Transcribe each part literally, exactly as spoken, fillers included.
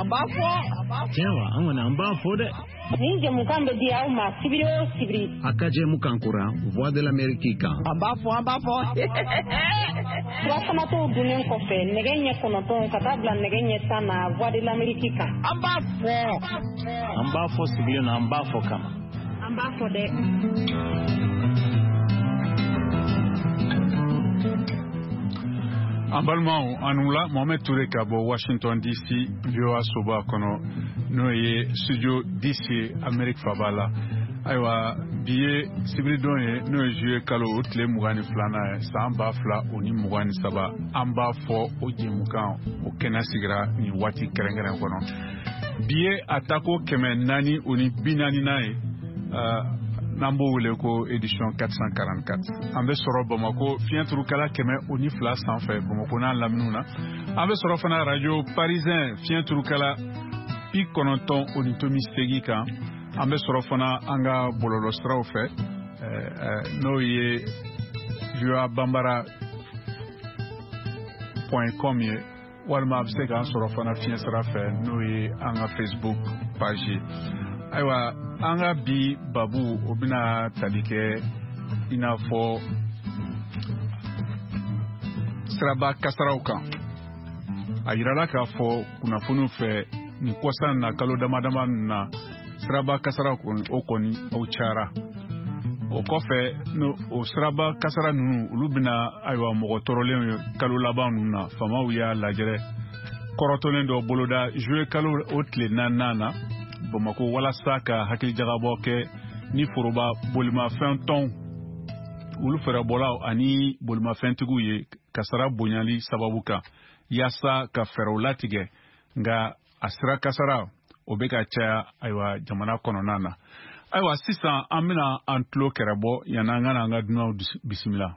An b'a fɔ. Tiɲɛ wa, an kɔni an b'a fɔ dɛ. Nin jɛmukan bɛ di aw ma sibiri o sibiri. A ka jɛmukan kura Voix de l'Amérique kan. An b'a fɔ, an b'a fɔ. Surafanato dunnen kɔfɛ nɛgɛ ɲɛ kɔnɔntɔn ka taa bila nɛgɛ ɲɛ tan na Voix de l'Amérique kan. An b'a fɔ. An b'a fɔ sigilen na, an b'a fɔ kama. An b'a fɔ dɛ. An balimaw, an wula. Mohamed Touré ka bɔ Washington D C, V O A soba kɔnɔ, n'o ye studio D C, Amérique faba la. Ayiwa, bi ye sibiridon ye, n'o ye juillet kalo o tile mugan ni filanan ye, san ba fila o ni mugan ni saba. An b'a fɔ o jɛmukan o kɛnɛ sigira nin waati kɛrɛnkɛrɛn kɔnɔ. Bi ye a tako kɛmɛ naani o ni bi naaninan ye, n'an b'o wele ko édition quatre cent quarante-quatre. An bɛ sɔrɔ Bamako fiɲɛturukala kɛmɛ o ni fila sanfɛ, Bamako n'a laminiw na. An bɛ sɔrɔ fana radio Parisien fiɲɛturukala bi kɔnɔntɔn o ni tomi seegin kan. An bɛ sɔrɔ fana an ka bɔlɔlɔsiraw fɛ, n'o ye voa bambara point com ye, walima a bɛ se k'an sɔrɔ fana fiɲɛ sira fɛ, n'o ye an ka Facebook page ye. Ayiwa, an ka bi babu o bɛna tali kɛ i n'a fɔ siraba kasaraw kan. A yirala k'a fɔ kunnafoniw fɛ nin kɔsa na, kalo dama dama ninnu na, siraba kasara o kɔni o cayara. O kɔfɛ, no o siraba kasara ninnu, olu bɛna ayiwa mɔgɔ tɔɔrɔlenw ye. Kalo laban ninnu na, faamaw y'a lajɛrɛ kɔrɔtɔlen dɔ boloda juillet kalo o tile naaninan na Bamako, walasa ka hakilijagabɔ kɛ ni foroba bolimafɛn tɔnw, olu fɛɛrɛbɔlaw ani bolimafɛntigiw ye kasara bonyali sababu kan, yaasa ka fɛɛrɛw latigɛ. Nka a sira kasara o bɛ ka caya ayiwa jamana kɔnɔna na. Ayiwa, sisan an bɛna an tulo kɛrɛbɔ yanni an ka na an ka dunanw bisimila.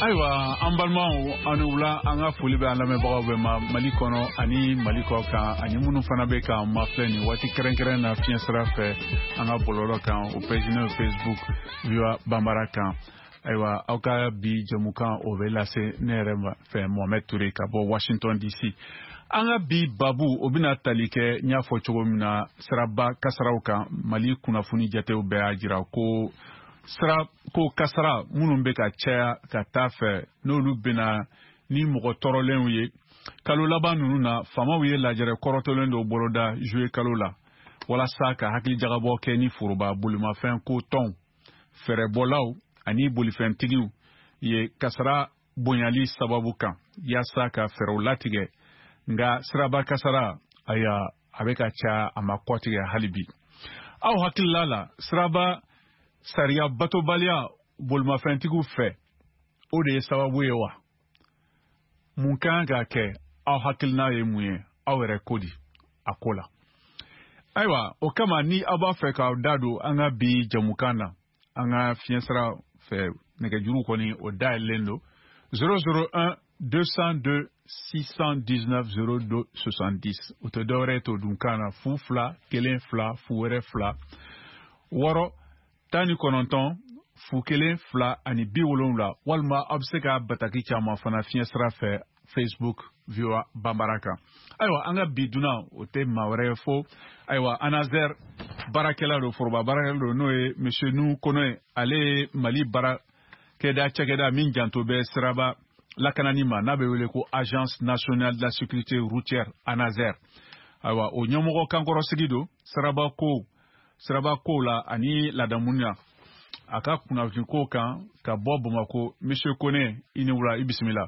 Ayiwa, an balimaw, an wula. An ka foli bɛ an lamɛnbagaw bɛɛ ma Mali kɔnɔ ani Mali kɔ kan, ani minnu fana bɛ k'an mafilɛ nin waati kɛrɛnkɛrɛn na fiɲɛ sira fɛ an ka bɔlɔlɔ kan, o page n'o Facebook V O A Bambara kan. Ayiwa, aw ka bi jɛmukan o bɛ lase ne yɛrɛ fɛ, Mohamed Touré ka bɔ Washington D C. An ka bi babu o bɛna tali kɛ, n y'a fɔ cogo min na, siraba kasaraw kan. Mali kunnafoni jatew bɛɛ y'a jira ko sira ko kasara minnu bɛ ka caya ka taa fɛ, n'olu bɛna ni mɔgɔ tɔɔrɔlenw ye. Kalo laban ninnu na, faamaw ye lajɛrɛ kɔrɔtɔlen dɔw boloda juillet kalo la, walasa ka hakilijagabɔ kɛ ni foroba bolimafɛn ko tɔnw, fɛɛrɛbɔlaw ani bolifɛntigiw ye kasara bonyali sababu kan yaasa ka fɛɛrɛw latigɛ. Nka siraba kasara aya a bɛ ka caya, a ma kɔtigɛ hali bi. Aw hakilila la, siraba sariya batobaliya bolimafɛntigiw fɛ, o de ye sababu ye wa? Mun kan ka kɛ? Aw hakilina ye mun ye? Aw yɛrɛ ko di a ko la? Ayiwa, o kama ni aw b'a fɛ k'aw da don an ka bi jamukan na, an ka fiɲɛsira fɛ nɛgɛjuru kɔni o dayɛlɛlen don zéro zéro un deux cent deux six cent dix-neuf zéro deux soixante-dix. O tɛ dɔwɛrɛ ye to dunkan na fu fila kelen fila fu wɛrɛ fila wɔɔrɔ tan ni kɔnɔntɔn fu kelen fila ani bi wolonwula, walima aw bɛ se ka bataki caman fana fiɲɛsira fɛ Facebook V O A Bambara kan. Ayiwa, an ka bi dunan o tɛ maa wɛrɛ ye fo ayiwa ANASER baarakɛla don, foroba baarakɛla don, n'o ye Monsieur Nouhoum Koné. Ale ye Mali baarakɛda cakɛda min janto bɛ siraba lakanani ma, n'a bɛ wele ko Agence nationale de la sécurité routière, ANASER. Ayiwa, o ɲɛmɔgɔ kankɔrɔsigi don siraba ko siraba kow la ani ladamunya a ka kunnafoni ko kan ka bɔ Bamakɔ. Monsieur Koné, i ni wula, i bisimila.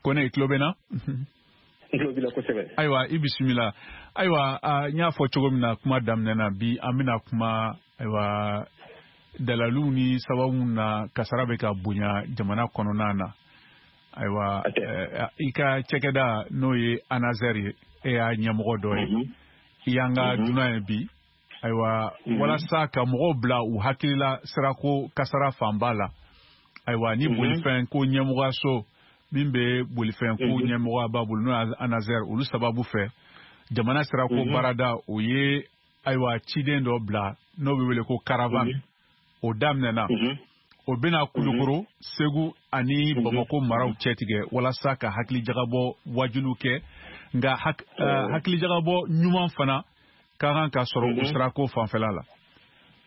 Koné, i tulo bɛ na? N tulo b'i la kosɛbɛ. Ayiwa, i bisimila. Ayiwa, n y'a fɔ cogo min na kuma daminɛ na, bi an bɛna kuma ayiwa dalaluw ni sababu na kasara bɛ ka bonya jamana kɔnɔna na. Ayiwa, i ka cakɛda n'o ye ANASER ye, e y'a ɲɛmɔgɔ dɔ ye, i y'an ka dunan ye bi. Ayiwa, walasa ka mɔgɔw bila u hakilila sirako kasara fanba la, ayiwa ni bolifɛn ko ɲɛmɔgɔyaso min bɛ bolifɛn ko ɲɛmɔgɔya b'a bolo n'o ye ANASER, olu sababu fɛ jamana sirako baarada o ye ayiwa ciden dɔ bila n'o bɛ wele ko caravane. O daminɛna, o bɛna Kulukoro, Segu ani Bamakɔ maraw cɛtigɛ walasa ka hakilijagabɔ wajuliw kɛ. Nka hakilijagabɔ ɲuman fana ka kan ka sɔrɔ o sirako fanfɛla la.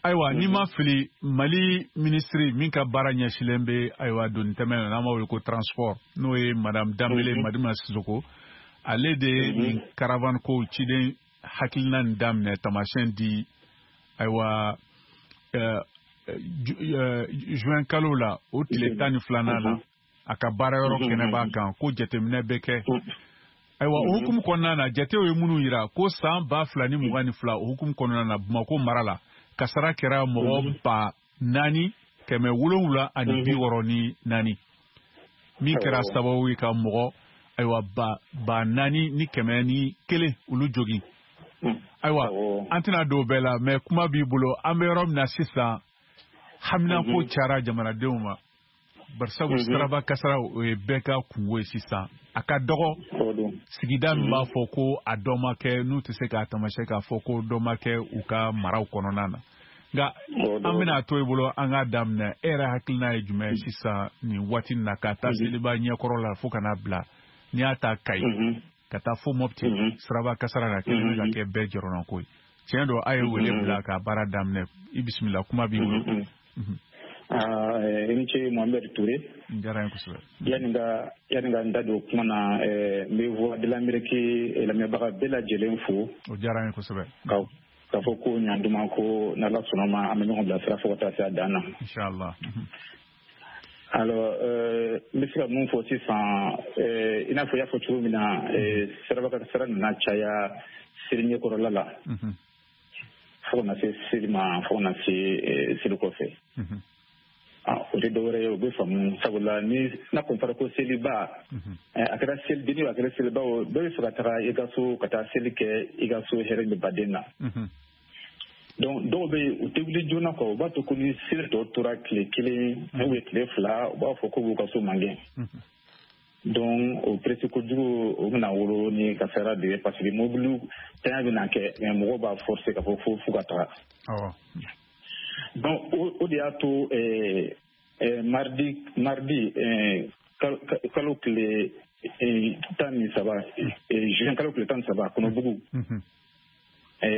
Ayiwa, n'i ma fili, Mali minisiri min ka baara ɲɛsilen bɛ ayiwa doni tɛmɛ na, n'an b'a wele ko transport, n'o ye Madame Danbele Madina Sissoko, ale de ye nin caravane ko ciden hakilina nin daminɛ, taamasiyɛn di ayiwa juin kalo la, o tile tan ni filanan la, a ka baarayɔrɔ kɛnɛ b'a kan ko jateminɛ bɛ kɛ. Ayiwa, o hukumu kɔnɔna na, jatew ye minnu yira ko san ba fila ni mugan ni fila o hukumu kɔnɔna na, Bamakɔ mara la kasara kɛra mɔgɔ ba naani kɛmɛ wolonwula ani bi wɔɔrɔ ni naani, min kɛra sababu ye ka mɔgɔ ayiwa ba ba naani ni kɛmɛ ni kelen olu jogin. Ayiwa, an tɛna don o bɛɛ la, mɛ kuma b'i bolo. An bɛ yɔrɔ min na sisan, haminako cayara jamanadenw ma, barisabu siraba kasara o ye bɛɛ ka kungo ye sisan. A ka dɔgɔ sigida min b'a fɔ ko a dɔ ma kɛ, n'u tɛ se k'a taamasiyɛn k'a fɔ ko dɔ ma kɛ u ka maraw kɔnɔna na. Nka an bɛna to i bolo, an k'a daminɛ. E yɛrɛ hakilina ye jumɛn ye sisan nin waati in na, ka taa seliba ɲɛkɔrɔ la fo ka n'a bila n'i y'a ta Kayi ka taa fo Mopti, siraba kasara la kelen bɛ ka kɛ bɛɛ jɔrɔnako ye? Tiɲɛ don, a ye wele bila ka baara daminɛ. I bisimila, kuma b'i bolo. I ni ce, Mohamed Touré. N diyara n ye kosɛbɛ. Yani ka yani ka n da don kuma na, n bɛ Voix de l'Amérique lamɛnbaga bɛɛ lajɛlen fo. O diyara n ye kosɛbɛ. Ka k'a fɔ ko ɲanduma ko n'Ala sɔnna ma, an bɛ ɲɔgɔn bilasira fo ka taa se a dan na. Inchallah. Alors, n bɛ se ka mun fɔ sisan? I n'a fɔ i y'a fɔ cogo min na, siraba kasara nana caya seli ɲɛkɔrɔla la fo ka na se seli ma, fo ka na se seli kɔfɛ. O tɛ dɔwɛrɛ ye, o bɛ faamu, sabula ni n'a kɔni fɔra ko seliba, a kɛra selidenni o, a kɛra seliba o, bɛɛ bɛ fɛ ka taga i ka so ka taa seli kɛ i ka so hɛrɛ ni baden na. Donc dɔw bɛ yen, u tɛ wuli joona quoi, u b'a to ko ni seli tɔ tora tile kelen ou bien tile fila, u b'a fɔ k'u b'u ka so magɛn. Donc o presse kojugu o bɛna wolo ni kasara de ye, parce que mobili tanya bɛna kɛ, mais mɔgɔw b'a forcer k'a fɔ fo f'u ka taga. Donc o de y'a to mardi mardi kalo tile tan ni saba, juin kalo tile tan ni saba, Kɔnɔbugu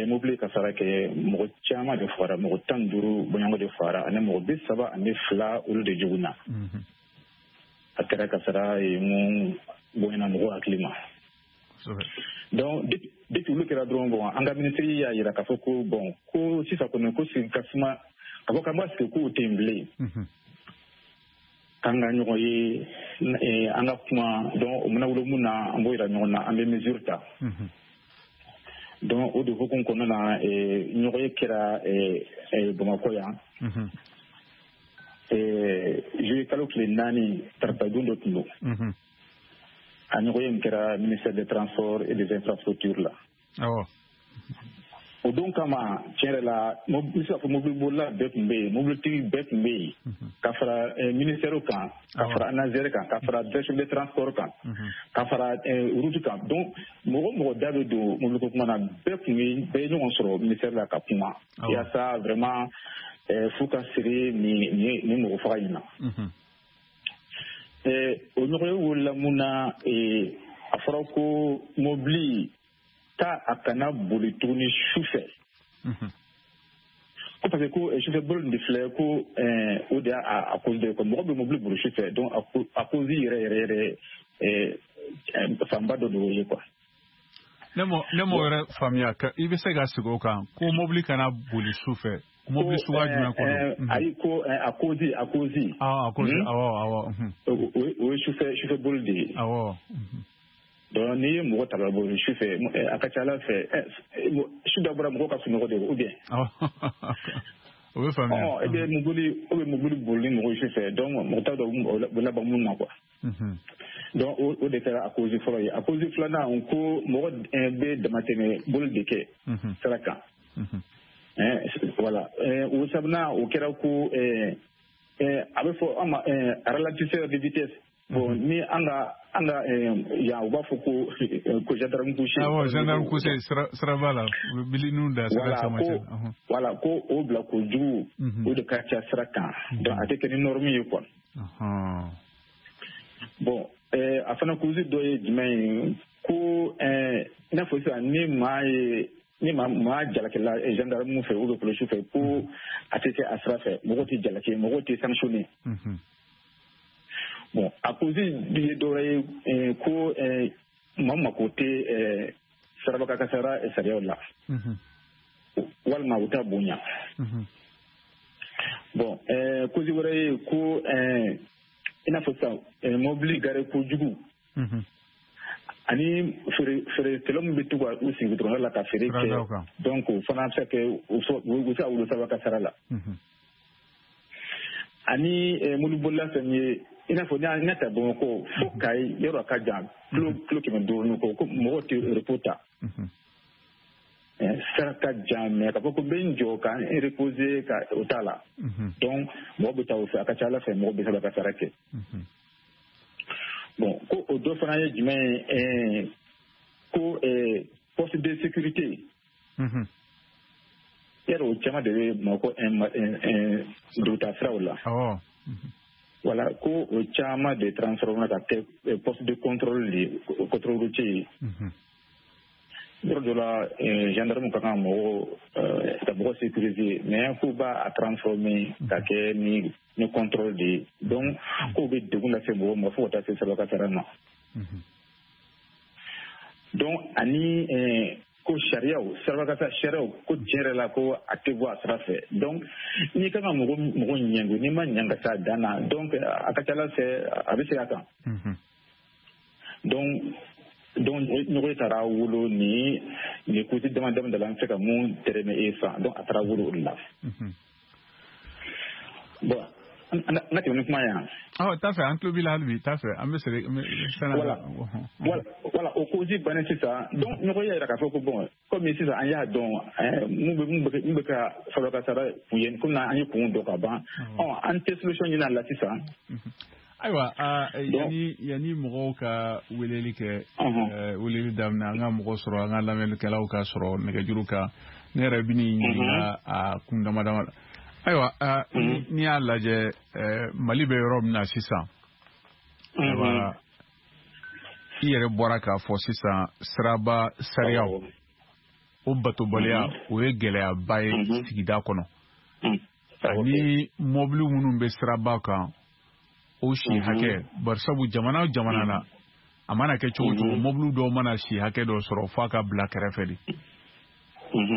mobili kasara kɛ, mɔgɔ caman de fagara, mɔgɔ tan ni duuru bɔɲɔgɔn de fagara, ani mɔgɔ bi saba ani fila olu de joginna. A kɛra kasara ye mun bonyana mɔgɔw hakili ma. Donc depuis olu kɛra dɔrɔn, bon, an ka minisiri y'a yira k'a fɔ ko bon, ko sisan kɔni ko sigi ka suma A ko k'an b'a sigi k'o tɛ yen bilen. K'an ka ɲɔgɔn ye, an ka kuma, donc o mana wolo mun na, an b'o yira ɲɔgɔn na, an bɛ mesure ta. Donc o de hukumu kɔnɔna na, ɲɔgɔn ye kɛra Bamakɔ yan. Juillet kalo tile naani, tarata don dɔ tun don. A ɲɔgɔn ye min kɛra ministère des Transports et des Infrastructures la. O don kama, tiɲɛ yɛrɛ la, n bɛ se k'a fɔ mobilibolila bɛɛ tun bɛ yen, mobilitigi bɛɛ tun bɛ yen, ka fara ministère kan, ka fara ANASER kan, ka fara direction des transports kan, ka fara route kan. Donc mɔgɔ mɔgɔ da bɛ don mobiliko kuma na, bɛɛ tun bɛ bɛɛ ye ɲɔgɔn sɔrɔ ministère la ka kuma yaasa vraiment f'u ka siri nin nin mɔgɔ faga in na. O ɲɔgɔn ye wolola mun na, a fɔra ko mobili ta a kana boli tuguni su fɛ. Ko parce que ko sufɛ boli de filɛ, ko o de y'a cause de ye quoi. Mɔgɔ bɛ mobili boli su fɛ, donc a cause yɛrɛ yɛrɛ yɛrɛ fanba dɔ de y'o ye quoi. Ne m'o ne m'o yɛrɛ faamuya, i bɛ se ka segin o kan, ko mobili kana boli su fɛ. Mobili suguya jumɛn ko don? Ayi, ko a cause a cause. Ah, a cause, awɔ awɔ. O ye sufɛ sufɛ boli de ye. Awɔ. Donc n'i ye mɔgɔ ta ka bɔ su fɛ, a ka ca ala fɛ su dɔ bɔra mɔgɔ ka sunɔgɔ de, ou bien. O bɛ faamuya. E bɛ mobili o bɛ mobili boli ni mɔgɔ ye su fɛ, donc mɔgɔ t'a dɔn o bɛ laban mun na quoi. Donc o de kɛra a cause fɔlɔ ye. A cause filanan, ko mɔgɔ bɛ damatɛmɛ boli de kɛ sira kan. Voilà. O sabanan, o kɛra ko a bɛ fɔ an ma ralentisseur de vitesse. Bon, ni an ka an ka yan, u b'a fɔ ko ko gendarme couché. Awɔ, gendarme couché siraba la, u bɛ bilininw da sira camancɛ. Voilà, ko o bila kojugu, o de ka ca sira kan. Donc a tɛ kɛ ni norme ye quoi. Bon, a fana cause dɔ ye jumɛn ye, ko i n'a fɔ sisan ni maa ye ni maa maa jalakila gendarme fɛ ou bien polisiw fɛ, ko a tɛ kɛ a sira fɛ, mɔgɔ tɛ jalaki, mɔgɔ tɛ sanctionné. Bon, a cause ye dɔ wɛrɛ ye, ko maa mako tɛ siraba kasara sariyaw la, walima u t'a bonya. Bon, cause wɛrɛ ye ko i n'a fɔ sisan mobili gare kojugu, ani feerekɛla min bɛ to ka u sigi dɔrɔn la ka feere kɛ, donc o fana bɛ se ka kɛ u bɛ se ka wolo saba kasara la. Ani mobilibolila fɛn ye, i n'a fɔ n'i y'a ta Bamakɔ fo Kayi, yɔrɔ a ka jan, kilo kilo kɛmɛ duuru ni kɔ, ko mɔgɔw tɛ repos ta. Sira ka jan, mais k'a fɔ ko n bɛ n jɔ ka n reposer ka o t'a la. Donc mɔgɔ bɛ taa o fɛ, a ka ca ala fɛ mɔgɔ bɛ se ka kasara kɛ. Bon, ko o dɔ fana ye jumɛn ye, ko poste de sécurité. Yɛrɛ o caman de bɛ Bamakɔ dugutaa siraw la. Voilà, ko o caman de transformé ka kɛ poste de contrôle de contrôle routier ye. Yɔrɔ dɔ la, gendarme ka kan mɔgɔ ka mɔgɔ sécuriser, mais k'u b'a transformé ka kɛ ni ni contrôle de ye. Donc k'o bɛ degun lase mɔgɔ ma fo ka taa se saba kasara ma. Donc ani ko sariyaw, siraba sariyaw, ko tiɲɛ yɛrɛ la ko a tɛ bɔ a sira fɛ. Donc n'i kan ka mɔgɔ mɔgɔ ɲangi, n'i ma ɲangi ka taa dan na, donc a ka ca ala fɛ a bɛ segin a kan. Donc donc ɲɔgɔn taara wolo ni ni kusi dama dama da la, an bɛ se ka mun tɛrɛmɛ e fan, donc a taara wolo o de la. Bon, an ka tɛmɛ ni kuma ye yan. Awɔ, t'a fɛ, an tulo b'i la hali bi, t'a fɛ, an bɛ segin fɛn na. Voilà, voilà, o cause bannen sisan, donc ɲɔgɔn y'a jira k'a fɔ ko bon, komi sisan an y'a dɔn mun bɛ mun bɛ ka saba kasara kun ye, komi an ye kun dɔn ka ban, ɔ an tɛ solution ɲini a la sisan. Ayiwa, yanni yanni mɔgɔw ka weleli kɛ, weleli daminɛ, an ka mɔgɔ sɔrɔ, an ka lamɛnnikɛlaw ka sɔrɔ nɛgɛjuru kan, ne yɛrɛ bɛ n'i ɲininka a kun dama dama la. Ayiwa, n'i y'a lajɛ Mali bɛ yɔrɔ min na sisan, ayiwa, i yɛrɛ bɔra k'a fɔ sisan siraba sariyaw, o batobaliya, o ye gɛlɛyaba ye sigida kɔnɔ. Ani mɔbili minnu bɛ siraba kan, o si hakɛ, barisabu jamana o jamana na, a mana kɛ cogo cogo, mɔbili dɔw mana si hakɛ dɔ sɔrɔ f'a ka bila kɛrɛfɛ de.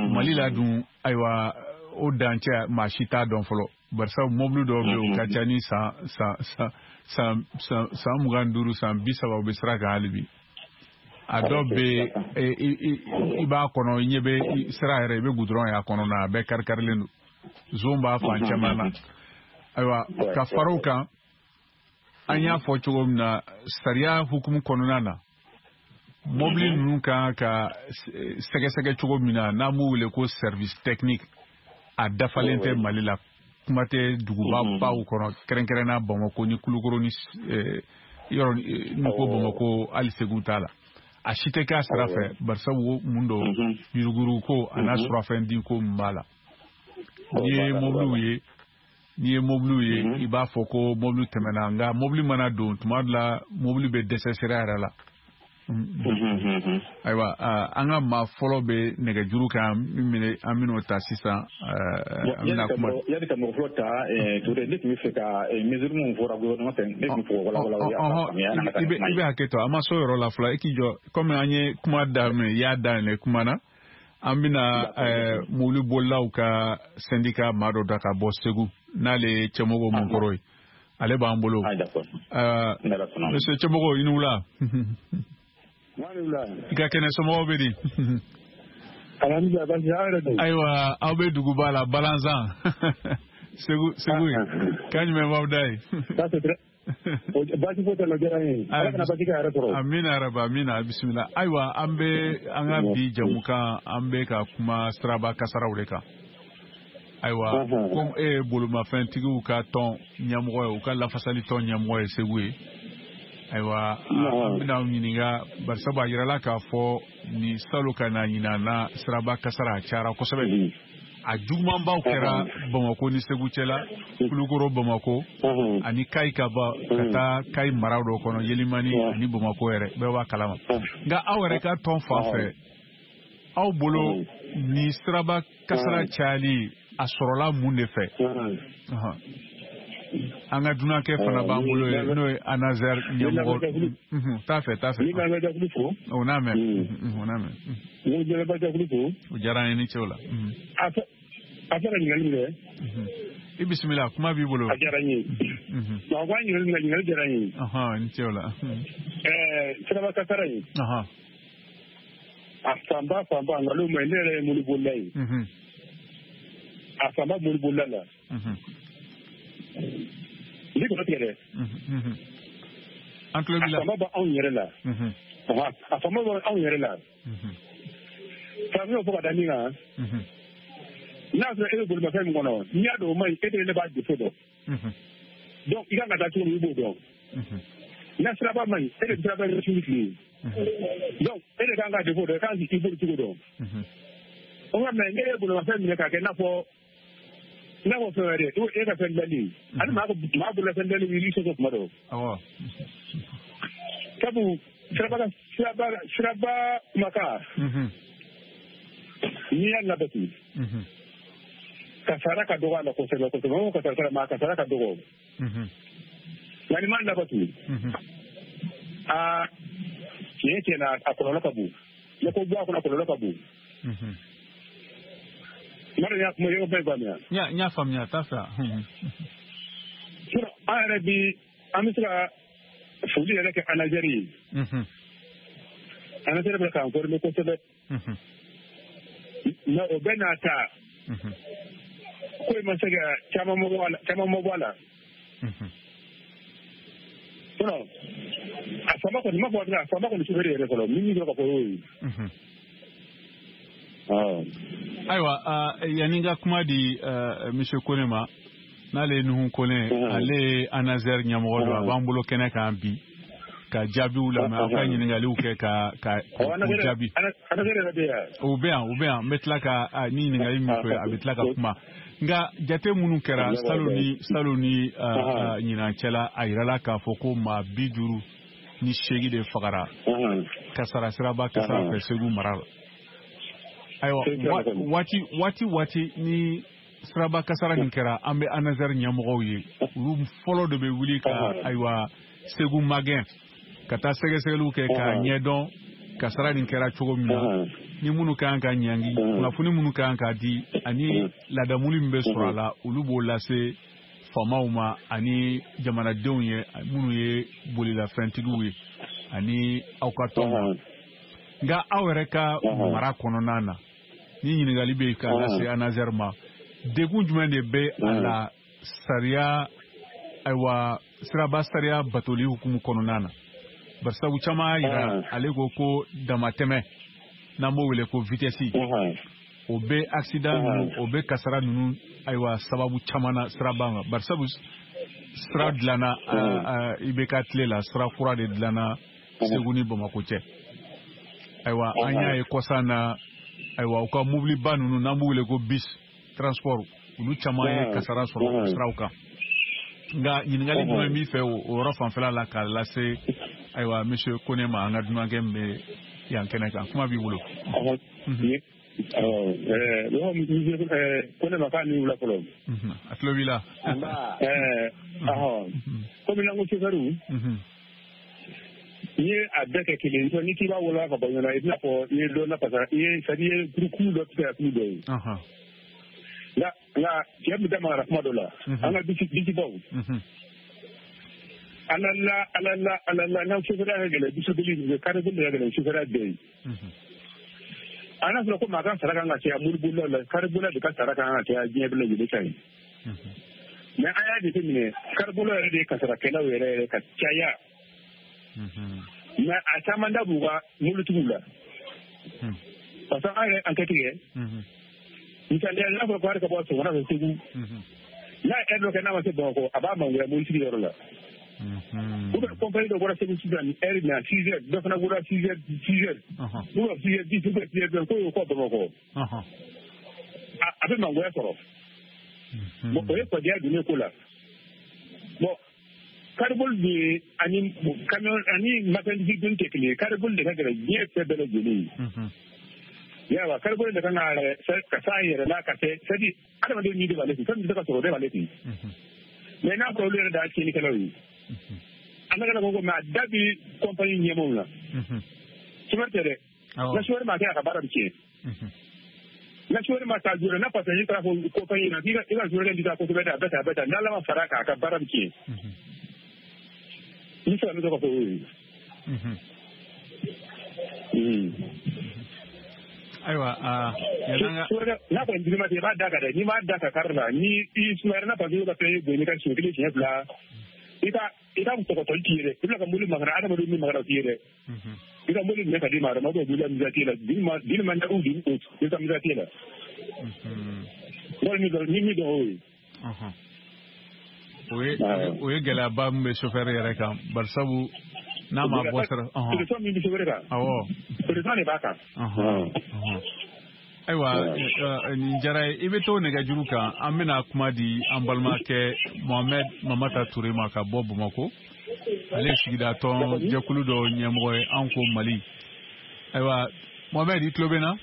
Mali la dun, ayiwa, o dancɛ maa si t'a dɔn fɔlɔ, barisa mobili dɔw bɛ yen o ka ca ni san san san san san san mugan ni duuru, san bi saba, u bɛ sira kan hali bi. A dɔw bɛ i b'a kɔnɔ, i ɲɛ bɛ sira yɛrɛ, i bɛ goudron y'a kɔnɔ na, a bɛɛ kari-karilen don, zon b'a fan caman na. Ayiwa, ka fara o kan, an y'a fɔ cogo min na, sariya hukumu kɔnɔna na, mobili ninnu kan ka sɛgɛsɛgɛ cogo min na, n'an b'u wele ko service technique, a dafalen tɛ Mali la, kuma tɛ duguba baw kɔnɔ, kɛrɛnkɛrɛnnenya Bamakɔ ni Kulukoro ni yɔrɔ ni ko Bamakɔ, hali Segu t'a la. A si tɛ k'a sira fɛ, barisabu mun don, yuruguyurugu ko a n'a surafɛn ko min b'a la. N'i ye mobiliw ye n'i ye mobiliw ye i b'a fɔ ko mobili tɛmɛna, nka mobili mana don tuma dɔ la, mobili bɛ dɛsɛ sira yɛrɛ la. Ayiwa, an ka maa fɔlɔ bɛ nɛgɛjuru kan, min an bɛn'o ta sisan. An bɛna kuma yanni ka mɔgɔ fɔlɔ ta, Ture, ne tun bɛ fɛ ka mesure min fɔra gouvernement fɛ, ne tun bɛ fɛ k'o walawala. I bɛ i bɛ hakɛ to, an ma s'o yɔrɔ la fɔlɔ, i k'i jɔ. Komi an ye kuma daminɛ, i y'a daminɛ kuma na, an bɛna mobili bolilaw ka syndicat maa dɔ da ka bɔ Segu, n'ale ye Cɛmɔgɔ Munkɔrɔ ye, ale b'an bolo. Monsieur Cɛmɔgɔ, i ni wula. I ka kɛnɛ, somɔgɔw bɛ di? Ayiwa, aw bɛ duguba la Balanzan, Segu, Segu yen, kan jumɛn b'aw da ye? Baasi foyi t'a la, diyara n ye. Ala kana baasi kɛ a yɛrɛ sɔrɔ. Amina rabi, amina, bisimila. Ayiwa, an bɛ an ka bi jamukan, an bɛ ka kuma siraba kasaraw de kan. Ayiwa, komi e ye bolimafɛntigiw ka tɔn ɲɛmɔgɔ ye, u ka lafasali tɔn ɲɛmɔgɔ ye Segu ye, ayiwa, an bɛna aw ɲininka, barisabu a yirala k'a fɔ ni salon ka na ɲinan na, siraba kasara a cayara kosɛbɛ. A jugumanbaw kɛra Bamakɔ ni Segu cɛla, Kulukoro, Bamakɔ ani Kayi, ka bɔ ka taa Kayi mara dɔ kɔnɔ, Yelimani ani Bamakɔ yɛrɛ, bɛɛ b'a kalama. Nka aw yɛrɛ ka tɔn fan fɛ, aw bolo ni siraba kasara cayali a sɔrɔla mun de fɛ? An ka dunankɛ fana b'an bolo yen, n'o ye ANASER ɲɛmɔgɔ. T'a fɛ, t'a fɛ. O n'a mɛn, o n'a mɛn. O diyara an ye, ni ce o la. A fɛ ka ɲininkali min kɛ. I bisimila, kuma b'i bolo. A diyara n ye. Wa ko an ɲininkali min kɛ, ɲininkali diyara n ye. Ni ce o la. Ɛɛ siraba kasara in. A fanba fanba, nkalon ma ɲi, ne yɛrɛ ye mobili bolila ye. A fanba mobili bolila la. Ne kɔnɔ tigɛ dɛ. An tulo b'i la. A fanba b'anw yɛrɛ la. A fanba b'anw yɛrɛ la. Karamɔgɔ fɔ ka da min kan. N'a sɔrɔ e bɛ bolimafɛn min kɔnɔ, n'i y'a dɔn o man ɲi, e de ne b'a défaut dɔn. Donc i kan ka taa cogo min, i b'o dɔn. N'a siraba man ɲi, e de siraba ye su ni tile. Donc e de kan ka défaut dɔn, i kan k'i boli cogo dɔn. O nka mais ne ye bolimafɛn minɛ k'a kɛ i n'a fɔ i n'a fɔ fɛn wɛrɛ, e ka fɛn dilanni ani maa maa bolofɛn dilanni i sɔsɔ kuma dɔ. Sabu siraba siraba siraba kumakan, n'i y'a labatu, kasara ka dɔgɔ a la kosɛbɛ kosɛbɛ. O kasara ma kasara ka dɔgɔ, nka n'i m'a labatu, aa tiɲɛ tiɲɛ na, a kɔlɔlɔ ka bon. Ne ko bɔ a kɔnɔ, a kɔlɔlɔ ka bon. Mara y'a kuma yɔrɔ bɛɛ faamuya. N y'a faamuya, t'a fɛ. Sinon an yɛrɛ bi, an bɛ se ka foli yɛrɛ kɛ ANASER ye. ANASER bɛ k'an former kosɛbɛ. Mais o bɛɛ n'a ta, ko in ma se ka caman ma bɔ a la, caman ma bɔ a la. Sinon a fanba kɔni, ma fɔ a fanba kɔni sufɛri yɛrɛ fɔlɔ, min min sɔrɔ ka fɔ o ye. Ayiwa, yanni n ka kuma di monsieur Kone ma, n'ale ye Nuhu Kone, ale ye ANASER ɲɛmɔgɔ don, a b'an bolo kɛnɛ kan bi ka jaabiw lamɛn, aw ka ɲininkaliw kɛ ka ka k'u jaabi. O bɛ yan, o bɛ yan, n bɛ tila ka ni ɲininkali min kɛ, a bɛ tila ka kuma. Nka jate minnu kɛra salon ni salon ni ɲinan cɛla, a yirala k'a fɔ ko maa bi duuru ni seegin de fagara kasara siraba kasara fɛ Segu mara la. Ayiwa, waati waati waati ni siraba kasara nin kɛra, an bɛ ANASER ɲɛmɔgɔw ye, olu fɔlɔ de bɛ wuli ka ayiwa Segu magɛn ka taa sɛgɛsɛgɛliw kɛ k'a ɲɛdɔn kasara nin kɛra cogo min na. Ni minnu ka kan ka ɲangi, kunnafoni minnu ka kan ka di ani ladamuli min bɛ sɔrɔ a la, olu b'o lase faamaw ma ani jamanadenw ye minnu ye bolilafɛntigiw ye ani aw ka tɔn ma. Nka aw yɛrɛ ka mara kɔnɔna na, ni ɲininkali bɛ ka lase ANASER ma, degun jumɛn de bɛ a la sariya, ayiwa, siraba sariya batoli hukumu kɔnɔna na? Barisabu caman y'a jira ale ko ko damatɛmɛ, n'an b'o wele ko vitesse, o bɛ accident ninnu, o bɛ kasara ninnu, ayiwa, sababu caman na siraba kan. Barisabu sira dilanna I B K tile la, sira kura de dilanna Segu ni Bamakɔ cɛ. Ayiwa, an y'a ye kɔsa na, ayiwa, u ka mobiliba ninnu n'an b'u wele ko bus transport, olu caman ye kasara sɔrɔ siraw kan. Nka ɲininkali jumɛn b'i fɛ o yɔrɔ fanfɛla la k'a lase, ayiwa, monsieur Kone ma, an ka dunankɛ min bɛ yan kɛnɛ kan? Kuma b'i bolo. Kone ma k'a ni wula fɔlɔ. A tulo b'i la. Komi n'an ko sofɛriw, n'i ye a bɛɛ kɛ kelen ye, n'i k'i b'a wolola ka bɔ ɲɔgɔn na, i bɛna fɔ i ye dɔ lafasa, i ye c'est à dire i ye kurukuru dɔ tigɛ kulu dɔ ye. Nka nka cɛ bɛ da magara kuma dɔ la, an ka bisibaw. Ala la ala la ala la, n'an sofɛriya ka gɛlɛn, bisibili kariboli de ka gɛlɛn sofɛriya bɛɛ ye. A n'a fɔra ko maa ka sara kan ka caya moribolilaw la, karibolila de ka sara kan ka caya diɲɛ bɛɛ lajɛlen ta ye. Mais an y'a jateminɛ, karibolila yɛrɛ de ye kasarakɛlaw yɛrɛ yɛrɛ ka caya. Mais a caman da b'u ka mobilitigiw la. Parce que an yɛrɛ enquête kɛ. Misaliya, n'a fɔra ko hali ka bɔ Sɔgɔna fɛ Segu, n'a ye heure dɔ kɛ n'a ma se Bamakɔ, a b'a mangoya mobilitigi yɔrɔ la. Ou bien compagnie dɔ bɔra Segu sisan ni heure min na six heures, dɔ fana bɔra six heures six heures, ou bien six heures dix, ou bien six heures vingt, k'o y'o kɔ Bamakɔ. A bɛ mangoya sɔrɔ. Bon, o ye fadenya donnen ko la. Bon, kariboli de ani camion ani marchandise doni tɛ kelen ye. Kariboli de ka gɛlɛn diɲɛ fɛn bɛɛ lajɛlen ye. Yawa, kariboli de kan ka ka s'a yɛrɛ la ka kɛ, c'est à dire adamaden ni de b'ale kun, fɛn min bɛ se ka sɔrɔ o de b'ale kun. Mais n'a fɔra olu yɛrɛ de y'a tiɲɛnikɛlaw ye. An ka ko mais a da bi compagnie ɲɛmaaw la. Sofɛri tɛ dɛ. Na sofɛri ma kɛ, a ka baara bɛ tiɲɛ. Na sofɛri ma taa joona, n'a passer taara fɔ compagnie na k'i ka i ka sofɛri di taa kosɛbɛ dɛ, a bɛ tan a bɛ tan, n'Ala ma fara a kan, a ka baara bɛ tiɲɛ. Ni sera min tɔgɔ fɔ o ye. Ayiwa, n'a kɔni dir'i ma i b'a da kan dɛ, n'i m'a da kan kari la, ni i sumayara n'a passer ka fɛn bonya ka siɲɛ kelen siɲɛ fila, i ka i ka tɔgɔtɔli t'i ye dɛ, i bɛna ka mobili makara, adamadenw min makara o t'i ye dɛ. I ka mobili minɛ ka d'i ma, adamadenw b'i la misɛn t'e la, dili ma ɲa u i ka misɛn t'e la. Wali ni min dɔn o ye. O ye o ye gɛlɛyaba min bɛ sofɛri yɛrɛ kan, barisabu n'a ma bɔ sira. Pression min bɛ sofɛri kan. Awɔ. Pression de b'a kan. Ayiwa, nin diyara ye. I bɛ to nɛgɛjuru kan, an bɛna kuma di an balimakɛ Mohamed Mamata Toure ma ka bɔ Bamakɔ. Ale ye sigida tɔn jɛkulu dɔ ɲɛmɔgɔ ye, an ko Mali. Ayiwa, Mohamed, i tulo bɛ n na?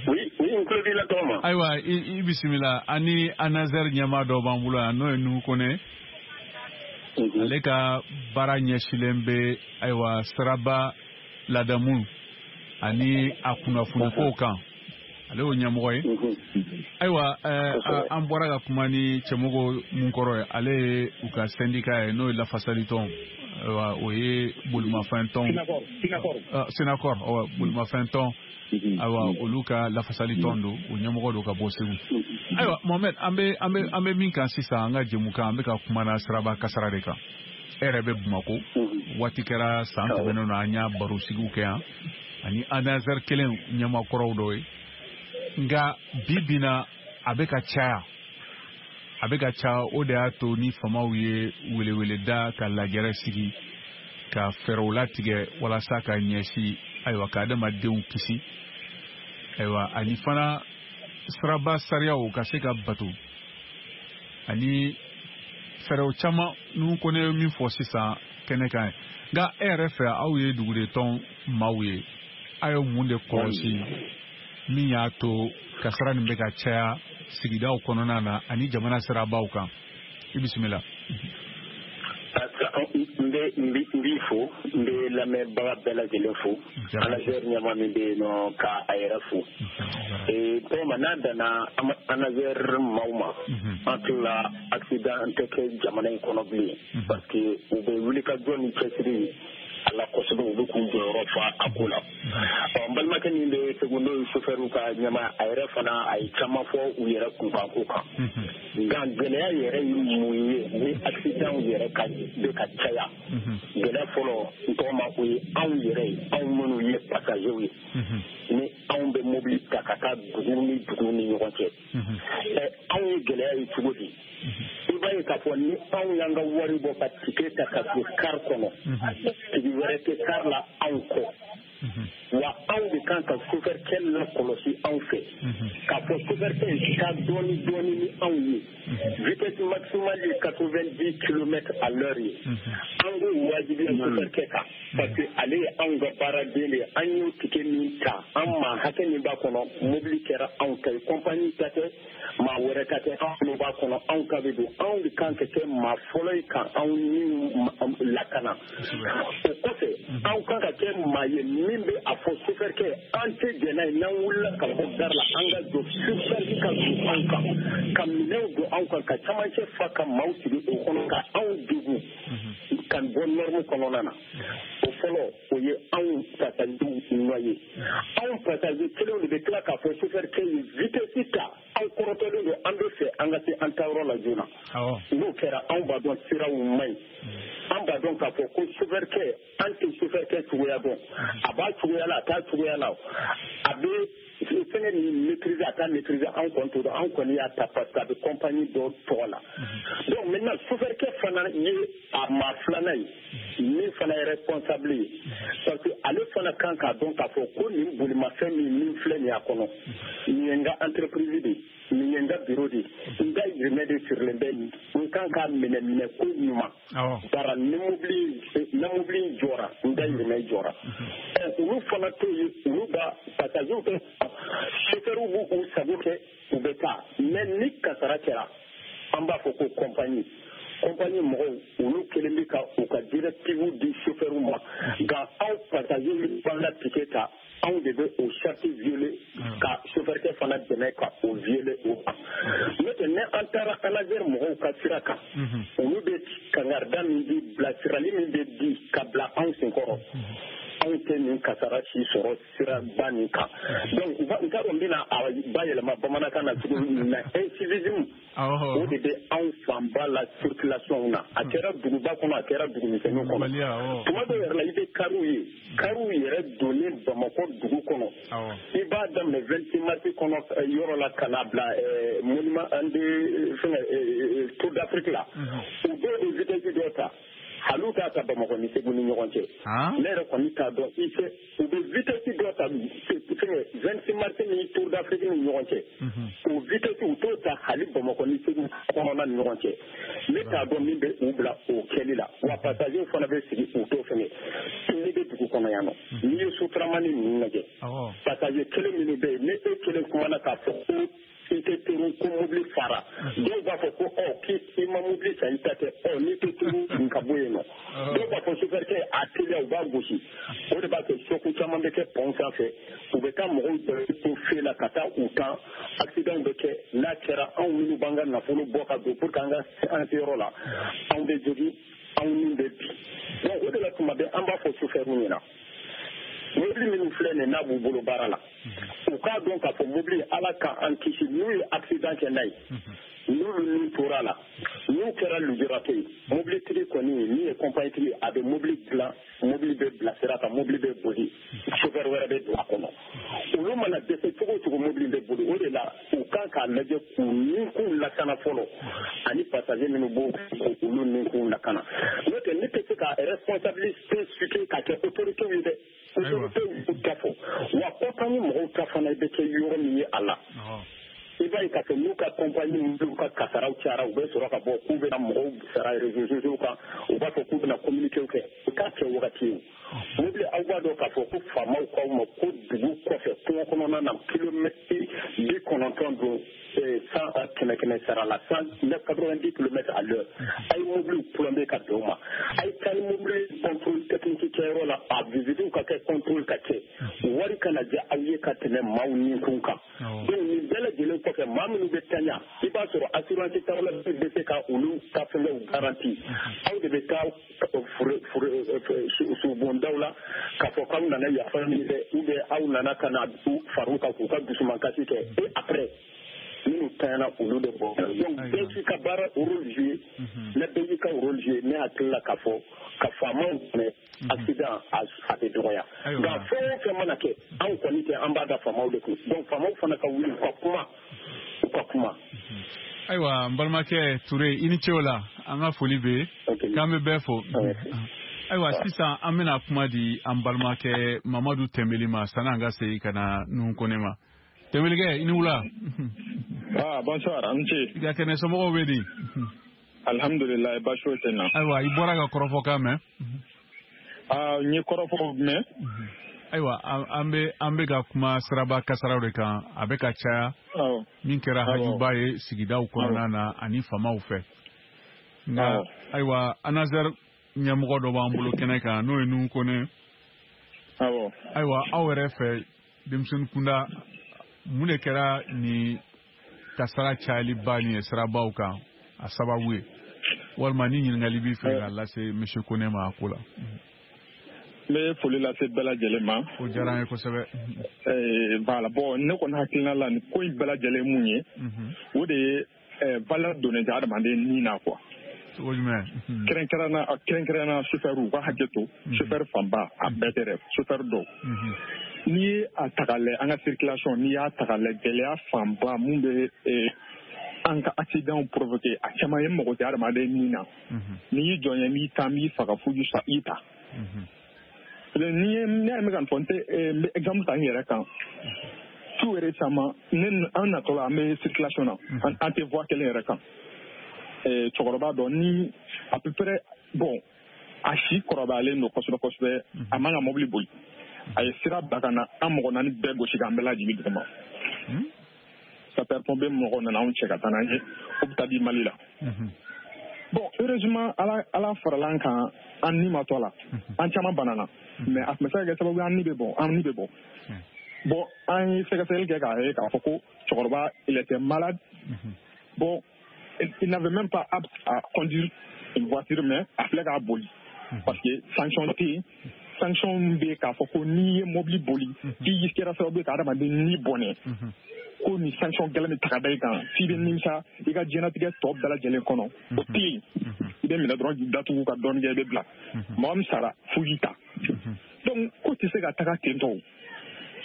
Oui, oui, n tulo b'i la tɔgɔma. Ayiwa, i bisimila. Ani ANASER ɲɛmaa dɔ b'an bolo yan, n'o ye Nuhu Kone. Ale ka baara ɲɛsilen bɛ, ayiwa, siraba ladamu ani a kunnafonikow kan. Ale y'o ɲɛmɔgɔ ye. Ayiwa, an bɔra ka kuma ni Cɛmɔgɔ mun kɔrɔ ye, ale ye u ka syndicat ye, n'o ye lafasalitɔn, ayiwa, o ye bolimafɛn tɔn, Sinakɔr, bolimafɛn tɔn, ayiwa, olu ka lafasali tɔn don, o ɲɛmɔgɔ don ka bɔ Segu. Ayiwa, Mohamed, an bɛ an bɛ an bɛ min kan sisan, an ka jɛmukan, an bɛ ka kuma na siraba kasara de kan. E yɛrɛ bɛ Bamakɔ, waati kɛra san tɛmɛnenw na, an y'a barosigiw kɛ yan ani ANASER kelen ɲɛmaakɔrɔw dɔ ye. Nka bi bi na a bɛ ka caya, a bɛ ka caya, o de y'a to ni faamaw ye weleweleda ka lajɛrɛ sigi ka fɛɛrɛw latigɛ walasa ka ɲɛsin, ayiwa, ka adamadenw kisi, ayiwa, ani fana siraba sariyaw ka se ka bato, ani fɛɛrɛw caman ninnu ko ne ye min fɔ sisan kɛnɛ kan ye. Nka e yɛrɛ fɛ, aw ye duguden maaw ye, aw ye mun de kɔlɔsi min y'a to kasara nin bɛ ka caya sigidaw kɔnɔna na ani jamana sirabaw kan? I bisimila. Parce que N bɛ n b'i fo, n bɛ lamɛnbaga bɛɛ lajɛlen fo. ANASER ɲɛmaa min bɛ yen nɔ ka a yɛrɛ fo. Ee tɔgɔma n'a danna ANASER maaw ma, an tilala accident tɛ kɛ jamana in kɔnɔ bilen, parce que u bɛ wulikajɔ ni cɛsiri a la kosɛbɛ, u bɛ k'u jɔyɔrɔ fa a ko la. Ɔ n balimakɛ min bɛ Segu n'o ye chauffeur ka ɲɛmaa, a yɛrɛ fana a ye caman fɔ u yɛrɛ kunkanko kan. Nka gɛlɛya yɛrɛ ye mun ye ni accident yɛrɛ ka bɛ ka caya? Gɛlɛya fɔlɔ n tɔgɔma o ye anw yɛrɛ ye, anw minnu ye passagers ye, ni anw bɛ mobili ta ka taa dugu ni dugu ni ɲɔgɔn cɛ. Ɛ anw ye gɛlɛya ye cogo di? I b'a ye k'a fɔ ni anw y'an ka wari bɔ ka ticket ta ka don car kɔnɔ, tigi wɛrɛ tɛ car la anw kɔ. Wa anw de kan ka chauffeur kɛ lakɔlɔsi anw fɛ, k'a fɔ chauffeur kɛ taa dɔɔni dɔɔni ni anw ye. Vitesse maximale ye quatre-vingt-dix kilomètres à l'heure ye. An k'o wajibiya chauffeur kɛ kan, parce que ale ye anw ka baaraden de ye. An y'o ticket min ta, an maa hakɛ min b'a kɔnɔ, mobili kɛra anw ta ye, compagnie ta tɛ, maa wɛrɛ ta tɛ, anw b'a kɔnɔ, anw ta bɛ don. Anw de kan ka kɛ maa fɔlɔ ye ka anw ni lakana. O kɔfɛ, anw kan ka kɛ maa ye min bɛ a fɔ chauffeur kɛ an tɛ jɛn n'a ye n'an wulila ka bɔ gare la, an ka jɔ surcharge ka don anw kan, ka minɛnw don anw kan, ka camancɛ fa ka maaw sigi o kɔnɔ, ka anw degun ka bɔ norme kɔnɔna na. O fɔlɔ, o ye anw passagers nɔ ye. Anw passagers kelenw de bɛ tila k'a fɔ chauffeur kɛ ye vitesse ta, aw kɔrɔtɔlen don, an bɛ fɛ an ka se an taayɔrɔ la joona. N'o kɛra, anw b'a dɔn siraw man ɲi. An b'a dɔn k'a fɔ ko chauffeur kɛ, an tɛ chauffeur kɛ cogoya dɔn. A b'a cogoya la, a t'a cogoya la, a bɛ fɛngɛ nin maîtriser, a t'a maîtriser, anw kɔni t'o dɔn. Anw kɔni y'a ta parce que a bɛ compagnie dɔ tɔgɔ la. Donc maintenant chauffeur kɛ fana ye a maa filanan ye min fana ye responsable ye, parce que ale fana kan k'a dɔn k'a fɔ ko nin bolimafɛn min min filɛ nin y'a kɔnɔ, nin ye n ka entreprise de ye, nin ye n ka bureau de ye, n ka yirimɛ de sirilen bɛ nin, n kan k'a minɛ minɛ ko ɲuman. Bara ni mobili ni mobili jɔra, n ka yirimɛ jɔra. Olu fana t'o ye, olu b'a passagers tɛ, chauffeurs b'u sago kɛ, u bɛ taa. Mais ni kasara kɛra, an b'a fɔ ko compagnie compagnie mɔgɔw olu kelen bɛ ka u ka directive di chauffeurs ma. Nka anw passagers b'an ka ticket ta, anw de bɛ o charte violer ka chauffeur kɛ fana dɛmɛ ka o violer o kan. N'o tɛ, ni an taara ANASER mɔgɔw ka sira kan, olu bɛ kangarida min di, bilasirali min bɛ di ka bila anw senkɔrɔ, anw tɛ nin kasara si sɔrɔ siraba nin kan. Donc n t'a dɔn n bɛna a bayɛlɛma bamanankan na cogo min na, incivisme o de bɛ anw fanba la circulation na. A kɛra duguba kɔnɔ, a kɛra dugumisɛnninw kɔnɔ. Tuma dɔw yɛrɛ la, i bɛ kariw ye, kariw yɛrɛ donnen Bamakɔ dugu kɔnɔ, i b'a daminɛ vingt-six mars kɔnɔ yɔrɔ la ka na bila monument de fɛngɛ Tour d'Afrique la, u dɔw bɛ vitesse dɔ ta, hali t'a ta Bamakɔ ni Segu ni ɲɔgɔn cɛ. Ne yɛrɛ kɔni t'a dɔn, i fɛ u bɛ vitesse dɔ ta fɛngɛ vingt-six mars ni Tour d'Afrique ni ɲɔgɔn cɛ, o vitesse u t'o ta hali Bamakɔ ni Segu kɔnɔna ni ɲɔgɔn cɛ. Ne t'a dɔn min bɛ u bila o kɛli la. Wa passagers fana bɛ sigi u t'o fɛngɛ. N'i bɛ dugu kɔnɔ yan nɔ, n'i ye sotaramani ninnu lajɛ, passager kelen minnu bɛ yen, ni e kelen kumana k'a fɔ ko i tɛ teru ko mobili fara, dɔw b'a fɔ ko ɔ k'i ma mobili san i ta tɛ, ɔ n'i tɛ teru nin ka bɔ yen nɔ. Dɔw b'a fɔ chauffeur kɛ a teliya, u b'a gosi. O de b'a kɛ choc caman bɛ kɛ pont sanfɛ, u bɛ taa mɔgɔw to fe la ka taa u kan, accident bɛ kɛ. N'a kɛra, anw minnu b'an ka nafolo bɔ ka don pour que an ka an se yɔrɔ la, anw bɛ jogin, anw ni bɛ bin. Donc o de la tuma bɛɛ an b'a fɔ chauffeur ɲɛna, mobili minnu filɛ nin n'a b'u bolo baara la, u k'a dɔn k'a fɔ mobili Ala k'an kisi, n'u ye accident kɛ n'a ye, n'olu ni tora la, n'u kɛra lujuratɔ ye, mobilitigi kɔni min ye compagnie tigi, a bɛ mobili dilan, mobili bɛ bila sira kan, mobili bɛ boli, chauffeur wɛrɛ bɛ don a kɔnɔ. Olu mana dɛsɛ cogo o cogo, mobili bɛ boli. O de la u kan k'a lajɛ k'u ninkun lakana fɔlɔ, ani passager minnu b'o olu ninkun lakana. N'o tɛ, ne tɛ se ka responsabilité situer ka kɛ autorité ye dɛ. Autorité y'u ta fɔ, wa compagnie mɔgɔw ta fana bɛ kɛ yɔrɔ min ye a la. I I b'a ye k'a fɔ n'u ka compagnie n'u ka kasaraw cayara, u bɛ sɔrɔ ka bɔ k'u bɛna mɔgɔw sara réseaux sociaux kan, u b'a fɔ k'u bɛna communiqué kɛ. U k'a kɛ wagati ye. Mobili, aw b'a dɔn k'a fɔ ko faamaw k'aw ma ko dugu kɔfɛ kungo kɔnɔna na kilomɛtiri bi kɔnɔntɔn don cent kɛmɛ kɛmɛ sara la, cent quatre-vingt-dix kilomètres à l'heure. A ye mobiliw plombé ka bɛn o ma. A ye taa ni mobili contrôle technique kɛyɔrɔ la, a visite ka kɛ, contrôle ka kɛ, wari kana diya aw ye ka tɛmɛ maaw ni kun kan. Donc nin bɛɛ lajɛlen kɔfɛ, maa minnu bɛ taɲa, i b'a sɔrɔ assurance tawla bɛ se ka olu ka fɛngɛw garanti. Aw de bɛ taa subondaw la k'a fɔ k'aw nana yafa ɲini dɛ, ou bien aw nana ka na far'u kan k'u ka dusumankasi kɛ, et après minnu taɲana, olu de bɔ. Donc bɛɛ k'i ka baara rôle jouer. Ne bɛɛ k'i ka rôle jouer, ne hakili la k'a fɔ ka faamaw dɛmɛ, accident a bɛ dɔgɔya. Nka fɛn o fɛn mana kɛ, anw kɔni tɛ, an b'a da faamaw de kun. Donc faamaw fana ka wuli, u ka kuma, u ka kuma. Ayiwa, n balimakɛ Ture, i ni ce o la, an ka foli bɛ k'an bɛ bɛɛ fo. Ayiwa, sisan an bɛna kuma di an balimakɛ Mamadu Tɛnbeli ma, sanni an ka segin ka na Nuhu Kone ma. Tɛnbelikɛ, i ni wula. Ah, bonsoir, an ce. I ka kɛnɛ, somɔgɔw bɛ di? Alhamdulillah, baasi foyi tɛ n na. Ayiwa, i bɔra ka kɔrɔfɔkan mɛn. Ah, n ye kɔrɔfɔw mɛn. Ayiwa, an bɛ an bɛ ka kuma siraba kasaraw de kan, a bɛ ka caya, min kɛra hajuba ye sigidaw kɔnɔna na ani faamaw fɛ. Nka ayiwa, ANASER ɲɛmɔgɔ dɔ b'an bolo kɛnɛ kan, n'o ye Nuhu Kone. Awɔ. Ayiwa, aw yɛrɛ fɛ, denmisɛnnin kunda, mun de kɛra nin kasara cayaliba nin ye sirabaw kan a sababu ye? Walima ni ɲininkali b'i fɛ k'a lase monsieur Kone ma a ko la. N bɛ foli lase bɛɛ lajɛlen ma. O diyara an ye kosɛbɛ. Voilà, bon, ne kɔni hakilina la, nin ko in bɛɛ lajɛlen mun ye, o de ye valeur donnen tɛ adamaden ni na quoi. Cogo jumɛn? Kɛrɛnkɛrɛnna kɛrɛnkɛrɛnna chauffeur, u ka hakɛ to, chauffeur fanba, a bɛɛ tɛ dɛ, chauffeur dɔw. N'i ye a ta k'a lajɛ, an ka circulation, n'i y'a ta k'a lajɛ, gɛlɛya fanba mun bɛ an ka accident provoquer, a caman ye mɔgɔ tɛ adamaden ni na. N'i y'i jɔ ɲɛ, n'i ta, n b'i faga fo i ta. Ni ye ne yɛrɛ bɛ ka nin fɔ, n tɛ n bɛ exemple ta n yɛrɛ kan. Tout récemment, ne an natɔ la, an bɛ circulation na, an tɛ voie kelen yɛrɛ kan. Cɛkɔrɔba dɔ ni à peu près, bon, a si kɔrɔbayalen don kosɛbɛ kosɛbɛ, a man ka mobili boli. A ye sira bila ka na an mɔgɔ naani bɛɛ gosi k'an bɛɛ lajigin duguma. Sapeur pompier mɔgɔw nana anw cɛ ka taa n'an ye hôpital du Mali la. Bon, heureusement, ala ala farala an kan, an ni ma to a la. An caman banana, mais a tun bɛ se ka kɛ sababu ye an ni bɛ bɔ, an ni bɛ bɔ. Bon, an ye sɛgɛsɛgɛli kɛ k'a ye k'a fɔ ko cɛkɔrɔba, il était malade. Bon, il n'avait même pas apte à conduire une voiture, mais a filɛ k'a boli parce que sanction tɛ yen. Sanction bɛ yen k'a fɔ ko n'i ye mobili boli k'i kɛra sababu ye ka adamaden ni bɔnɛ, ko nin sanction gɛlɛn bɛ ta ka da i kan f'i bɛ nimisa i ka diɲɛlatigɛ tɔ bɛɛ lajɛlen kɔnɔ, o tɛ yen. I bɛ minɛ dɔrɔn k'i datugu ka dɔɔnin kɛ, i bɛ bila. Mɔgɔ min sara, fo k'i ta. Donc ko tɛ se ka taga ten tɔ.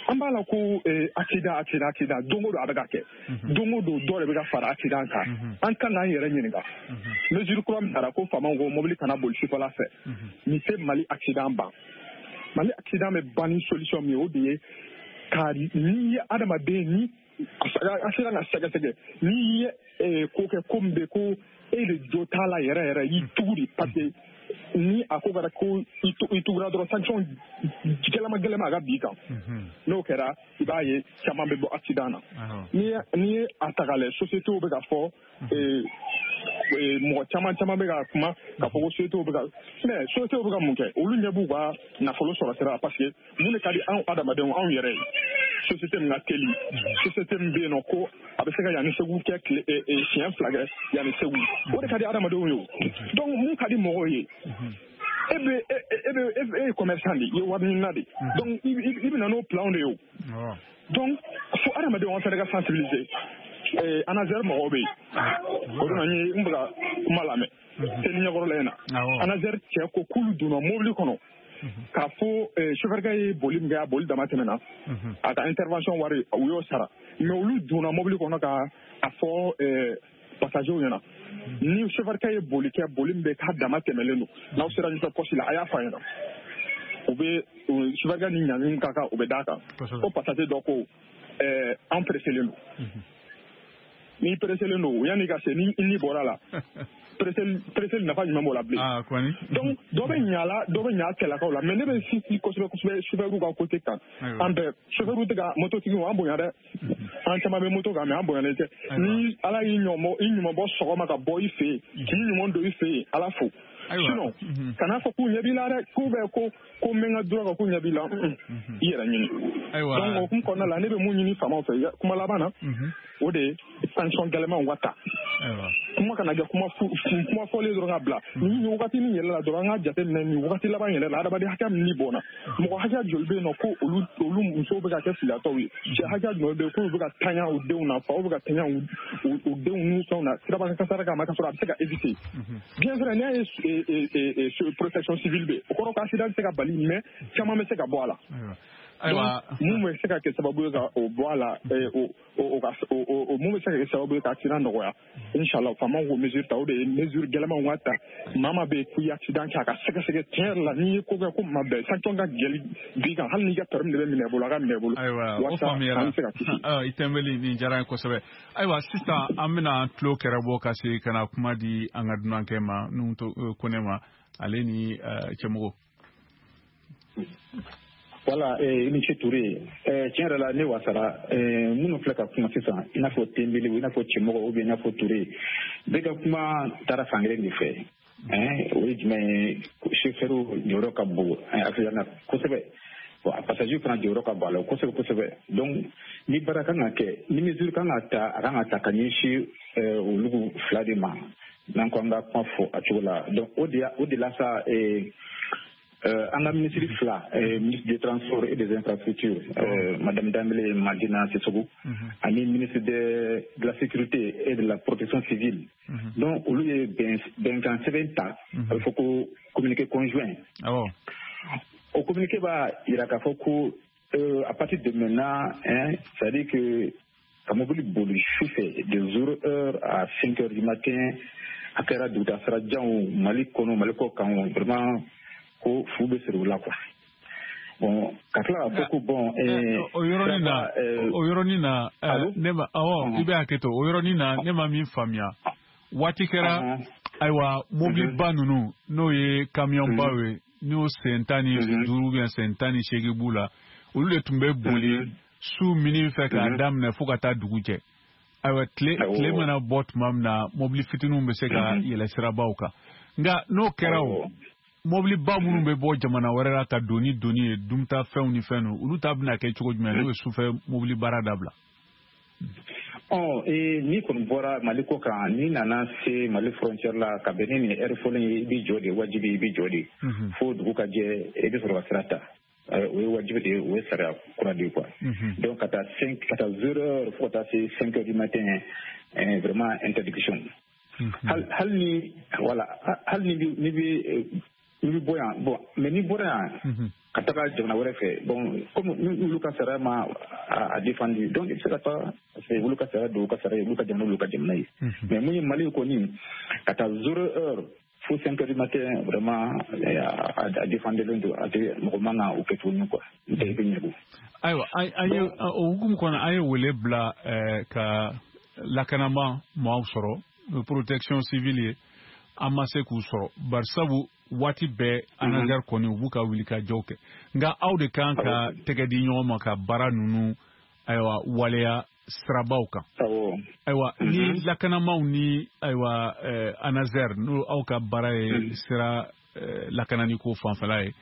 An b'a la ko accident, accident, accident, don o don a bɛ ka kɛ, don o don dɔ de bɛ ka fara accident kan. An kan k'an yɛrɛ ɲininka, mesure kura min taara ko faamaw ko mobili kana boli sufɛla fɛ, nin tɛ Mali accident ban. Mali accident bɛ ban ni solution min ye, o de ye ka n'i ye adamaden ni accident ka sɛgɛsɛgɛ, n'i ye ko kɛ ko min bɛ ko e de jo t'a la yɛrɛ yɛrɛ, i tugu de, parce que ni a ko kɛra ko i tugura dɔrɔn, sanction gɛlɛma gɛlɛma a ka bin kan. N'o kɛra, i b'a ye caman bɛ bɔ accident na. N'i n'i ye a ta k'a lajɛ, sociétés bɛ ka fɔ, mɔgɔ caman caman bɛ ka kuma k'a fɔ ko sociétés bɛ ka, mais sociétés bɛ ka mun kɛ? Olu ɲɛ b'u ka nafolo sɔrɔ sira la, parce que mun de ka di anw adamadenw, anw yɛrɛ ye? Société min ka teli, société min bɛ yen nɔ ko a bɛ se ka yanni Segu kɛ tile siɲɛ fila kɛ yanni Segu, o de ka di adamadenw ye o. Donc mun ka di mɔgɔw ye? E bɛ e bɛ e ye commerçant de ye, i ye wari ɲinina de, donc i bɛ na n'o plan de ye o. Donc fo adamadenw an fana ka sensibiliser. ANASER mɔgɔw bɛ yen, o de la n ye n bɛ ka kuma lamɛn seli ɲɛkɔrɔla in na. ANASER cɛ ko k'olu donna mobili kɔnɔ k'a fɔ chauffeur kɛ ye boli min kɛ, a boli dama tɛmɛna, a ka intervention wari u y'o sara, mais olu donna mobili kɔnɔ ka a fɔ passagers ɲɛna ni chauffeur kɛ ye boli kɛ, boli min bɛ k'a dama tɛmɛlen don, n'aw sera ɲɛfɛ poste la, a y'a fɔ a ɲɛna, u bɛ chauffeur kɛ ni ɲangi ka kan, u bɛ d'a kan. Ko passager dɔ ko an presselen don. N'i pressélen don yanni ka se ni ni bɔra la presseli nafa jumɛn b'o la bilen. Donc dɔ bɛ ɲa la dɔ bɛ ɲa cɛlakaw la mais ne bɛ sinsin kosɛbɛ kosɛbɛ chauffeur ka côté kan. An bɛɛ chauffeur tɛ ka mototigiw an bonya dɛ. An caman bɛ moto kan mais an bonyalen tɛ. Ni Ala y'i ɲɔmɔ i ɲuman bɔ sɔgɔma ka bɔ i fɛ yen k'i ɲuman don i fɛ yen Ala fo. Sinon kana fɔ k'u ɲɛ b'i la dɛ k'u bɛ ko ko n bɛ n ka droit kan k'u ɲɛ b'i la i yɛrɛ ɲini. Donc o hukumu kɔnɔna la ne bɛ mun ɲini faamaw fɛ kuma laban na o de ye sanction gɛlɛnmanw ka ta. Kuma kana kɛ kuma kuma fɔlen dɔrɔn ka bila. Ni wagati min yɛlɛla dɔrɔn an ka jateminɛ nin wagati laban yɛrɛ la adamadenya hakɛ min ni bɔnna mɔgɔ hakɛ joli bɛ yen nɔ ko olu olu musow bɛ ka kɛ filatɔw ye cɛ hakɛ jumɛn bɛ yen k'olu bɛ ka taɲa u denw na faw bɛ ka taɲa u denw n'u fɛnw na siraba kasara kama ka sɔrɔ a bɛ se ka éviter. Bien vrai n'i y'a ye protection civile bɛ o kɔrɔ ko accident tɛ se ka bali mais caman bɛ se ka bɔ a la. Ayiwa mun bɛ se ka kɛ sababu ye ka o bɔ a la o o ka o mun bɛ se ka kɛ sababu ye ka accident nɔgɔya inshallah faamaw k'o mesure ta o de ye mesure gɛlɛnmanw ka ta maa maa bɛ yen k'i accident kɛ a ka sɛgɛsɛgɛ tiɲɛ yɛrɛ la n'i ye ko kɛ ko maa bɛɛ sanction ka gɛlɛn bi kan hali n'i ka permis de bɛ minɛ i bolo a ka minɛ i bolo. Ayiwa o faamuyara an bɛ se ka kisi. I Tɛnbeli nin diyara n ye kosɛbɛ. Ayiwa sisan an bɛna an tulo kɛrɛ bɔ ka se ka na kuma di an ka dunankɛ ma Nuhu Kone ma ale ni Cɛmɔgɔ. Voilà, i ni ce Touré. Tiɲɛ yɛrɛ la ne wasara minnu filɛ ka kuma sisan i n'a fɔ Tɛnbeli i n'a fɔ Cɛmɔgɔ ou bien i n'a fɔ Touré bɛɛ ka kuma taara fan kelen de fɛ. O ye jumɛn ye chauffeur jɔyɔrɔ ka bon accident na kosɛbɛ. Bon a passager fana jɔyɔrɔ ka bon a la kosɛbɛ kosɛbɛ. Donc ni baara kan ka kɛ ni mesure kan ka ta a kan ka ta ka ɲɛsin olu fila de ma n'an ko an ka kuma fɔ a cogo la. Donc o de o de la sa an ka ministre fila ministre des Transports et des Infrastructures Madame Dambélé Madina Sissoko ani ministre de de la Sécurité et de la Protection civile. Donc olu ye bɛnkan sɛbɛn ta a bɛ fɔ ko communiqué conjoint. O communiqué b'a yira k'a fɔ ko à partir de maintenant hein, c'est-à-dire que ka mobili boli su fɛ de zéro heure à cinq heures du matin a kɛra dugutasira janw Mali kɔnɔ Mali kɔ kan vraiment ko fu bɛ siri u la quoi. Bon ka tila k'a fɔ ko bon o yɔrɔnin na o yɔrɔnin na ne ma awɔ i bɛ hakɛ to o yɔrɔnin na ne ma min faamuya waati kɛra ayiwa mobiliba ninnu n'o ye kamiyɔnbaw ye n'o sen tan ni duuru ou bien sen tan ni seegin b'u la olu de tun bɛ boli su mini fɛ k'a daminɛ fo ka taa dugu jɛ. Ayiwa tile tile mana bɔ tuma min na mobili fitininw bɛ se ka yɛlɛ sirabaw kan nka n'o kɛra o mobiliba minnu bɛ bɔ jamana wɛrɛ la ka don ni doni ye dumunitafɛnw ni fɛn ninnu olu ta bɛna kɛ cogo jumɛn n'o ye sufɛ mobili baara dabila. Ɔ n'i kɔni bɔra Mali kɔ kan n'i nana se Mali frontière la ka bɛn ni nin heure fɔlen ye i b'i jɔ de wajibi i b'i jɔ de fo dugu ka jɛ i bɛ sɔrɔ ka sira ta o ye wajibi de ye o ye sariya kura de ye quoi. Donc ka taa cinq ka taa zéro heure fo ka taa se cinq heures du matin vraiment interdiction. Hali ni voilà hali ni ni bɛ n'i bɛ bɔ yan bon mais n'i bɔra yan ka taga jamana wɛrɛ fɛ bon comme olu ka sariya ma a défendu donc i bɛ se ka taa parce que olu ka sariya don u ka sariya ye olu ka jamana olu ka jamana ye mais mun ye Mali kɔni ka taa zéro heure fo cinq heures du matin vraiment a défendulen don a tɛ mɔgɔ man kan o kɛ tuguni quoi n'o tɛ i bɛ ɲɛgu. Ayiwa an ye o hukumu kɔnɔ an ye wele bila ka lakanama maaw sɔrɔ protection civile ye an ma se k'u sɔrɔ barisabu waati bɛɛ ANASER kɔni u b'u ka wulikajɔw kɛ nka aw de kan ka tɛgɛ di ɲɔgɔn ma ka baara ninnu ayiwa waleya sirabaw kan. Ayiwa ni lakanamaw ni ayiwa ANASER n'o aw ka baara ye sira lakanani ko fanfɛla ye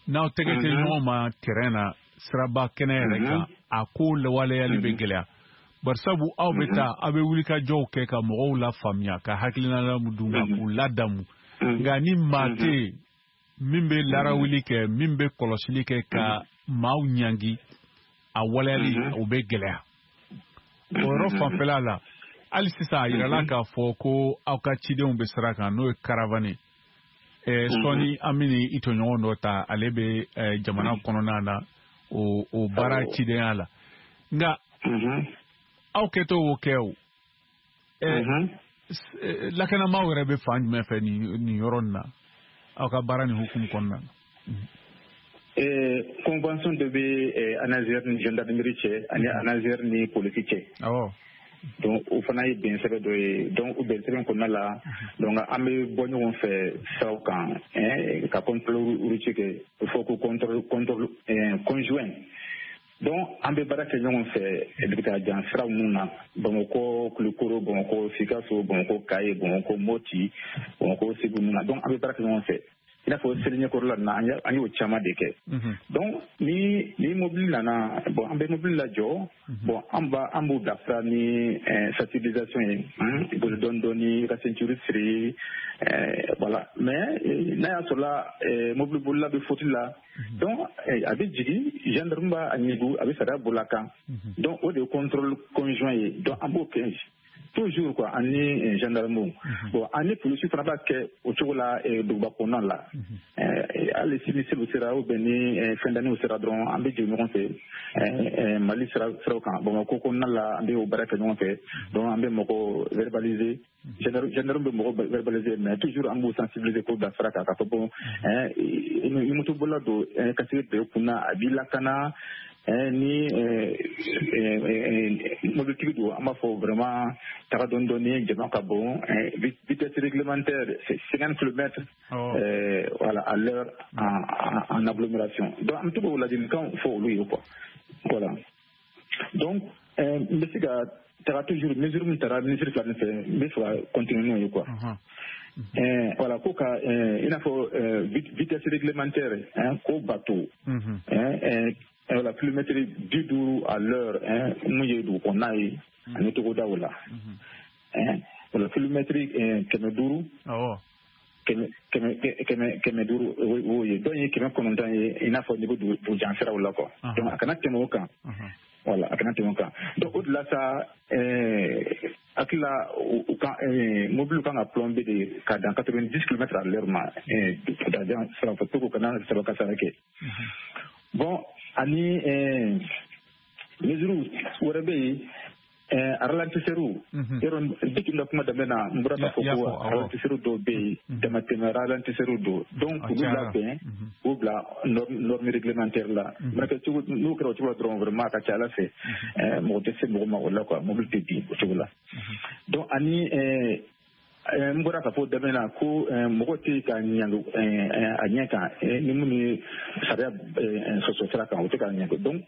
n'aw tɛgɛ tɛ ɲɔgɔn ma terrain na siraba kɛnɛ yɛrɛ kan a ko waleyali bɛ gɛlɛya barisabu aw bɛ taa aw bɛ wulikajɔw kɛ ka mɔgɔw lafaamuya ka hakilina d'u ma k'u ladamu nka ni maa tɛ yen min bɛ larawuli kɛ min bɛ kɔlɔsili kɛ ka maaw ɲangi a waleyali o bɛ gɛlɛya o yɔrɔ fanfɛla la hali sisan a yirala k'a fɔ ko aw ka cidenw bɛ sira kan n'o ye caravane ye sɔɔni an bɛ i tɔɲɔgɔn dɔ ta ale bɛ jamana kɔnɔna na o o baara cidenya la nka aw kɛtɔ o kɛ o lakanamaaw yɛrɛ bɛ fan jumɛn fɛ nin nin yɔrɔ nin na aw ka baara nin hukumu kɔnɔna na. Convention dɔ bɛ ANASER ni gendarmerie cɛ ani ANASER ni polisi cɛ. Awɔ. Donc o fana ye bɛn sɛbɛn dɔ ye. Donc o bɛn sɛbɛn kɔnɔna la, donc an bɛ bɔ ɲɔgɔn fɛ siraw kan, ka contrôle routier kɛ, o fɔ ko contrôle contrôle conjoint. Donc an bɛ baara kɛ ɲɔgɔn fɛ dugutagajan siraw ninnu na, Bamakɔ Kulukoro, Bamakɔ Sikaso, Bamakɔ Kaye, Bamakɔ Moti, Bamakɔ Segu ninnu na. Donc an bɛ baara kɛ ɲɔgɔn fɛ. I n'a fɔ seli ɲɛkɔrɔla ninnu na, an y'o caman de kɛ. Donc ni ni mobili nana, bon an bɛ mobili lajɔ, bon an b'a an b'u bilasira ni sensibilisation ye, boli dɔɔni dɔɔni, ka ceinture siri, voilà. Mais n'a y'a sɔrɔla mobili bolila bɛ faute la, donc a bɛ jigin, gendarme b'a ɲigu, a bɛ sariya boli a kan. Donc o de ye contrôle conjoint ye. Donc an b'o kɛ toujours quoi, ani gendarme. Bon ani polisi fana b'a kɛ o cogo la duguba kɔnɔna la. Hali sini seliw sera ou bien ni fɛn danniw sera dɔrɔn, an bɛ jigin ɲɔgɔn fɛ Mali siraw kan. Bamakɔ kɔnɔna la, an bɛ o baara kɛ ɲɔgɔn fɛ. Donc an bɛ mɔgɔ verbaliser, gendarme bɛ mɔgɔ verbaliser, mais toujours an b'u sensibiliser k'o bila sira kan, k'a fɔ bon ni motobolila don, casque bɛ kun na, a b'i lakana. Ni mobilitigi don, an b'a fɔ vraiment taga dɔɔni dɔɔni, jama ka bon, vitesse réglementaire c'est cinquante kilomètres voilà à l'heure en, en agglomération. Donc an bɛ to k'o ladilikanw fɔ olu ye quoi. Voilà. Donc n bɛ se ka taga toujours mesure min taara ministre fila nin fɛ, n bɛ fɛ ka continuer n'o ye quoi. Voilà, ko ka i n'a fɔ vitesse réglementaire k'o bato, voilà, kilomètre bi duuru à l'heure mun ye dugu kɔnɔna ye ani togodaw la. Voilà, kilomètre kɛmɛ duuru, kɛmɛ kɛmɛ kɛmɛ duuru o ye, dɔw ye kɛmɛ kɔnɔntɔn ye, i n'a fɔ n'i bɛ dugu jan siraw la quoi. Donc a kana tɛmɛ o kan. Voilà, a kana tɛmɛ o kan. Donc o de la sa, hakili la u kan mobili kan ka plomber de ka dan quatre-vingt-dix kilomètres à l'heure ma dugujan siraw fɛ, pour que u kana saba kasara kɛ. Bon ani mesure wɛrɛ bɛ yen, ralentisseur. Yɔrɔ depuis n ka kuma daminɛ na, n bɔra k'a fɔ ko ralentisseur dɔw bɛ yen, damatɛmɛ ralentisseur dɔw. Donc k'olu labɛn, k'u bila norme réglementaire la. Mana kɛ cogo, n'o kɛra o cogo la dɔrɔn, vraiment a ka ca Ala fɛ, mɔgɔ tɛ se mɔgɔ ma o la quoi, mobili tɛ bin o cogo la. Donc ani n bɔra k'a fɔ daminɛ na ko mɔgɔ tɛ ka ɲangi a ɲɛ kan ni minnu ye sariya sɔsɔ sira kan, o tɛ ka ɲangi. Donc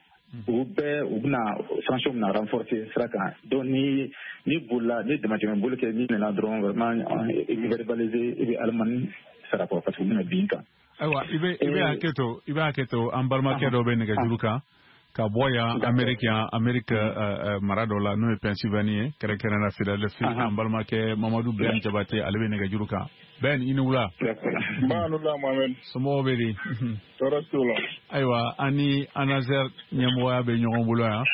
u bɛɛ u bɛna sanction bɛna renforcer sira kan. Donc ni ni bolila, ni damatɛmɛ boli kɛ, ni nana dɔrɔn vraiment i bɛ verbaliser, i bɛ alimani sara quoi, parce que u bɛna bin kan. Ayiwa, i bɛ i bɛ hakɛ to, i bɛ hakɛ to, an balimakɛ dɔ bɛ nɛgɛjuru kan ka bɔ yan Amérique, yan Amérique mara dɔ la, n'o ye Pennsylvanie ye, kɛrɛnkɛrɛnnenya la Philadelphie. An balimakɛ Mamadu Ben Jabate, ale bɛ nɛgɛjuru kan. Ben, i ni wula. Ba ni wula Mohamed. Somɔgɔw bɛ di? Tɔɔrɔ t'u la. Ayiwa, an ni ANASER ɲɛmɔgɔya bɛ ɲɔgɔn bolo yan.